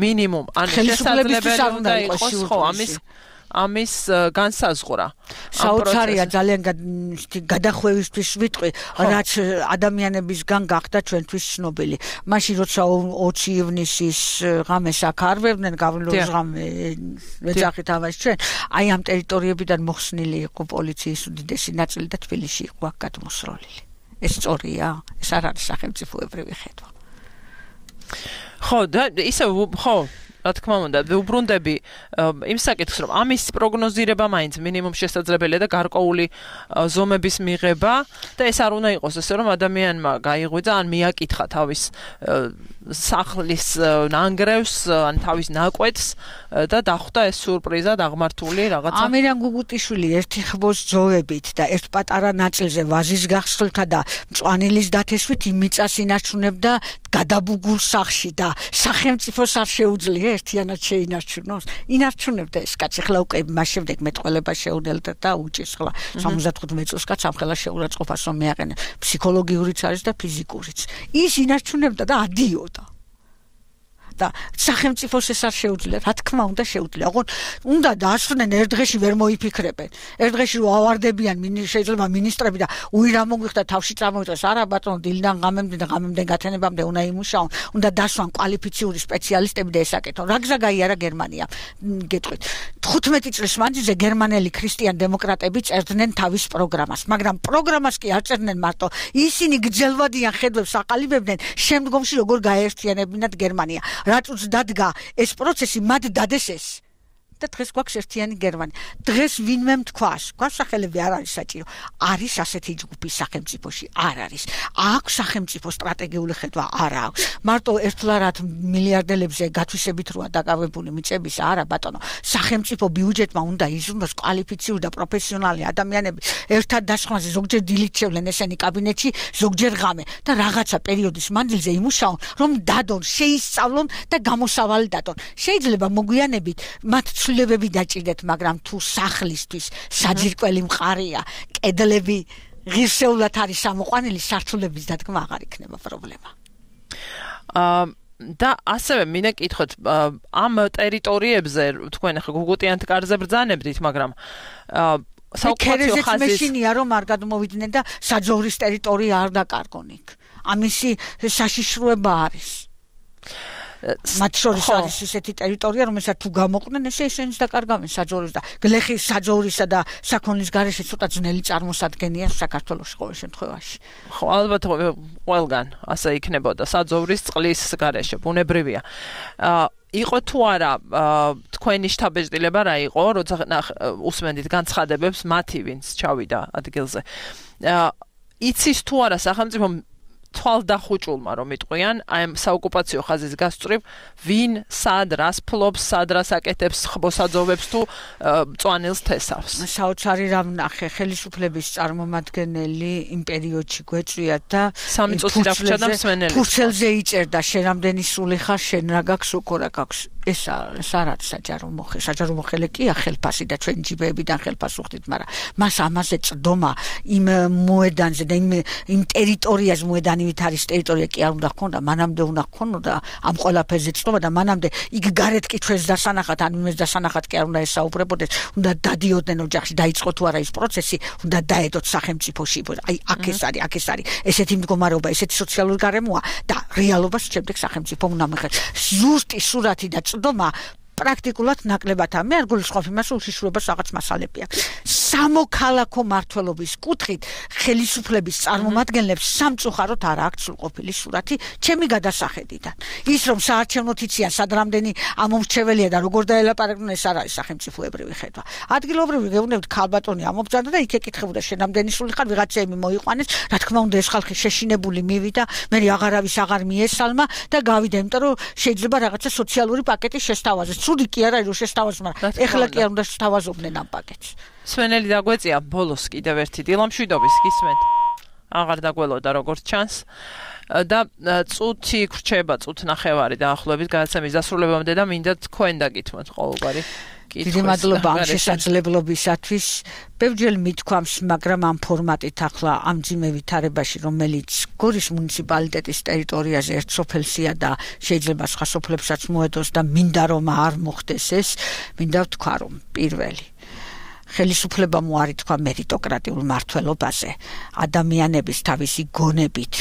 მინიმუმ ანუ შესაძლებელი უნდა იყოს ხო ამის განსაზღვრა. საოცარია ძალიან გადახვევისთვის ვიტყვი, რაც ადამიანებისგან გახდა ჩვენთვის ცნობილი. მაშინ როცა 20 ივნისის ღამეს აქ არვებდნენ, გავლენის ღამე ეძახით ამას ჩვენ, აი ამ ტერიტორიებიდან მოხსნილი იყო პოლიციის უდიდესი ნაწილი და თბილისში იყო აქ გადმოსროლილი. ეს სწორია, ეს არ არის სახელმწიფოებრივი ხედვა. ხო, და ისე ხო რა თქმა უნდა, ვუბრუნდები იმ საკითხს, რომ ამის პროგნოზირება მაინც მინიმუმ შესაძლებელია და გარკვეული ზომების მიღება და ეს არ უნდა იყოს ესე, რომ ადამიანმა გაიღვიძა ან მიაკითხა თავის სახლის ნანგრევს, ან თავის ნაკვეთს და დახვდა ეს სიურპრიზად აღმართული რაღაცა. ამირან გუგუტიშვილი ერთი ხბოს ძოვებით და ერთ პატარა ნაწილზე ვაზის გახსნილთა და მწვანილის დათესვით იმ მიწას ინარჩუნებდა გადაბუგულ სახლში და სახელმწიფოს არ შეუძლია ერთიანად შეინარჩუნოს. ინარჩუნებდა ეს კაცი, ხლა უკვე მას შემდეგ მეტყველება შეუნელდა და უჭის ხლა 75 წელს კაც ამხელა შეურაცხყოფას რომ მეაყენა. ფსიქოლოგიურიც არის და ფიზიკურიც. ის ინარჩუნებდა და ადიოდა. და სახელმწიფოს ეს არ შეუძლია, რა თქმა უნდა შეუძლია. ოღონდ უნდა დაასვნენ ერთ დღეში ვერ მოიფიქრებენ. ერთ დღეში რომ ავარდებიან შეიძლება მინისტრები და უი რა მოგვიხდა თავში წამოვიწყეს. არა ბატონო, დილიდან ღამემდე გათენებამდე უნდა იმუშაონ. უნდა დასვან კვალიფიციური სპეციალისტები და ესაკეთონ. რა გზა გაიარა გერმანია? გეტყვით. 15 წლის მანძილზე გერმანელი ქრისტიან დემოკრატები წერდნენ თავის პროგრამას, მაგრამ პროგრამას კი არ წერდნენ მარტო. ისინი გრძელვადიან ხედვებს აყალიბებდნენ შემდგომში როგორ გაეერთიანებინათ გერმანია. რატოც დადგა ეს პროცესი, მათ დადეს ეს. და დღეს გვაქვს ერთიანი გერმანია. დღეს ვინმე თქვას, გვასახელები არ არის საჭირო. არის ასეთი ჯგუფი სახელმწიფოში? არ არის. აქვს სახელმწიფო სტრატეგიული ხედვა? არ აქვს. მარტო ერთლარად მილიარდელებზე გათვისებით როა დაკავებული მიწების? არა ბატონო. სახელმწიფო ბიუჯეტმა უნდა იზრუნოს კვალიფიციური და პროფესიონალი ადამიანები. ერთად დასხმაზე ზოგჯერ დილით შევლენ ესენი კაბინეტში, ზოგჯერ ღამე და რაღაცა პერიოდის მანძილზე იმუშაონ, რომ დადონ, შეისწავლონ და გამოსავალი დადონ. შეიძლება მოგვიანებით მათ ცვლილებები დაჭირდეთ, მაგრამ თუ სახლისთვის საძირკველი მყარია, კედლები ღირსეულად არის ამოყვანილი, სართულების დადგმა აღარ იქნება პრობლემა. და ასევე მინდა კითხოთ, ამ ტერიტორიებზე თქვენ ახლა გუგუტიანთ კარზე ბრძანებდით, მაგრამ საოკუპაციო ხაზის მეშინია რომ არ გადმოვიდნენ და საძოვრის ტერიტორია არ დაკარგონ იქ. ამისი საშიშროება არის. მათ შორის არის ისეთი ტერიტორია, რომელსაც თუ გამოყვნენ, ესე ისინიც დაკარგავენ საძოვრის და გლეხის საძოვრისა და საქონლის გარეშე ცოტა ძნელი წარმოსადგენია საქართველოში ყოველ შემთხვევაში. ხო, ალბათ ყველგან ასე იქნებოდა საძოვრის წყლის გარეშე, ბუნებრივია. იყო თუ არა თქვენი შთაბეჭდილება რა იყო, როცა უსმენდით განცხადებებს მათი, ვინც ჩავიდა ადგილზე. იცის თუ არა სახელმწიფო თვალდახუჭულმა რომ იტყვიან აი ამ საოკუპაციო ხაზის გასწვრივ ვინ სად რას ფლობს, სად რას აკეთებს, ხბოსაძოვებს თუ მწვანილს თესავს. საოცარი რამ ნახე, ხელისუფლების წარმომადგენელი იმ პერიოდში გვეწვია და 3 წუთი დაგვრჩა და მსმენელი. ფურცელზე იწერდა შენ რამდენი სული ხარ, შენ რა გაქვს, უკო რა გაქვს. ეს არ არის საჯარო მოხელე. საჯარო მოხელე კია ხელფასი და ჩვენ ჯიბეებიდან ხელფას უხდით, მაგრამ მას ამაზე წდომა იმ მოედანზე და იმ ტერიტორიაზე მოედანი ვით არის ტერიტორია კი არ უნდა ჰქონდა, მანამდე უნდა ჰქონოდა ამ ყველაფერზე წდომა და მანამდე იქ გარეთ კი ჩვენს დასანახად, ან იმეს დასანახად კი არ უნდა ესაუბრებოდეს, უნდა დადიოდნენ ოჯახში, დაიწყო თუ არა ის პროცესი, უნდა დაედოთ სახელმწიფოში. აი აქ ეს არის ესეთი მდგომარეობა, ესეთი სოციალური გარემოა და რეალობას შემდეგ სახელმწიფო უნდა მიიღოს. ზუსტი სურათი და წდომა პრაქტიკულად ნაკლებად მე არ გულისხმობ იმას, რომ უშიშროებას რაღაც მასალები აქვს. სამოქალაქო მართლობის კუთხით ხელისუფლების წარმომადგენლებს სამწუხაროდ არ აქვს სრულყოფილი სურათი ჩემი გადასახედიდან. ის რომ საარჩევნო თიციან სად რამდენი ამომრჩეველია და როგორ დაელაპარაკონ, ეს არ არის სახელმწიფოებრივი ხედვა. ადგილობრივი გეუბნებით ქალბატონი ამობრძანდა და იქ ეკითხებოდა შენ რამდენი სული ხარ, ვიღაცები მოიყვანეს, რა თქმა უნდა ეს ხალხი შეშინებული მივიდა, მე აღარავის აღარ მიესალმა და გავიდა, იმიტომ რომ შეიძლება რაღაცა სოციალური პაკეტი შესთავაზეს. ცუდი კი არა რომ შესთავაზოს, მაგრამ ეხლა კი არ უნდა შესთავაზობდნენ ამ პაკეტს. სვენელი დაგვეწია ბოლოს კიდევ ერთი დილამშვიდობის გისმენთ. აღარ დაგველოდა როგორც ჩანს. და წუთი გრჩება, წუთნახევარი დაახლოებით გადაცემის დასრულებამდე და მინდა თქვენ დაგითმოთ ყოველგვარი დიდი მადლობა ამ შესაძლებლობისათვის. ბევრჯერ მithქვამს, მაგრამ ამ ფორმატით ახლა ამ ძიმე ვითარებაში, რომელიც გორის მუნიციპალიტეტის ტერიტორიაზე ერთ სოფელსია და შეიძლება სხვა სოფლებსაც მოედოს და მინდა რომ არ მოხდეს ეს, მინდა ვთქვა რომ პირველი ხელისუფლება მოარი თქვა მერიტოკრატიულ მართლობაზე, ადამიანების თავისი გონებით,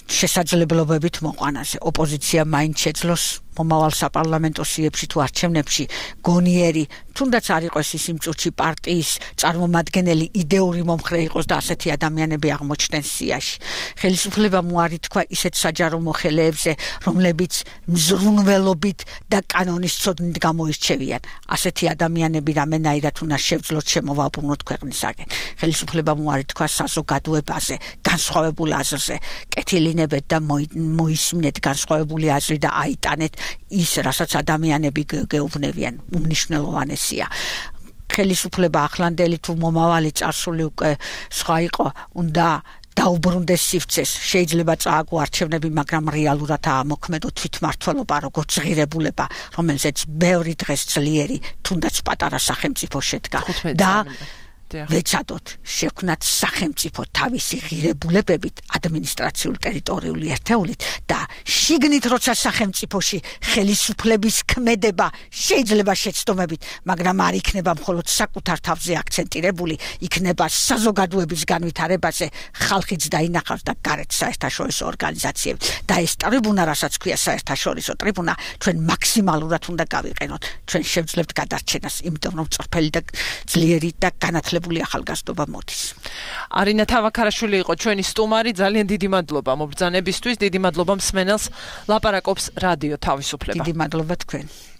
შესაძლებლობებით მოყვანაზე. ოპოზიცია მაინც შეძლოს მომავალ საპარლამენტო სიებში თუ არჩევნებში გონიერი, თუნდაც არ იყოს ის იმ წუთში პარტიის წარმომადგენელი იდეური მომხრე იყოს და ასეთი ადამიანები აღმოჩნდნენ სიაში. ხელისუფლებამ უარი თქვა ისეთ საჯარო მოხელეებზე, რომლებიც მზრუნველობით და კანონის ცოდნით გამოირჩევიან. ასეთი ადამიანები რამენაირად უნდა შევძლოთ შემოვაბრუნოთ ქვეყნისაგან. ხელისუფლებამ უარი თქვა საზოგადოებაზე, განსხვავებულ აზრზე, კეთილინებეთ და მოისმინეთ განსხვავებული აზრი და აიტანეთ ის, რასაც ადამიანები გეუბნებიან, უმნიშვნელოვანესია. ხელისუფლება ახლანდელი თუ მომავალი წარსული უკვე სხვა იყო, უნდა დაუბრუნდეს სივრცეს. შეიძლება წააგო არჩევნები, მაგრამ რეალურად ამოქმედო თვითმმართველობა, როგორც ღირებულება, რომელზეც ბევრი დღეს ძლიერი, თუნდაც პატარა სახელმწიფო შედგა და ვეცადოთ შექმნათ სახელმწიფო თავისი ღირებულებებით, ადმინისტრაციული ტერიტორიული ერთეულით და შიგნით როცა სახელმწიფოში ხელისუფლების ქმედება შეიძლება შეცდომებით, მაგრამ არ იქნება მხოლოდ საკუთარ თავზე აქცენტირებული, იქნება საზოგადოების განვითარებაზე, ხალხიც დაინახავს და გარეთ საერთაშორისო ორგანიზაციები. და ეს ტრიბუნა, რასაც ქვია საერთაშორისო ტრიბუნა, ჩვენ მაქსიმალურად უნდა გავიყენოთ. ჩვენ შევძლებთ გადარჩენას, იმიტომ რომ წრფელი და ძლიერი და განათლებული ახალგაზრდობა მოდის. არინა თავაქარაშვილი იყო ჩვენი სტუმარი, ძალიან დიდი მადლობა მობრძანებისთვის, დიდი მადლობა მსმენელს, ლაპარაკობს რადიო თავისუფლება. დიდი მადლობა თქვენ.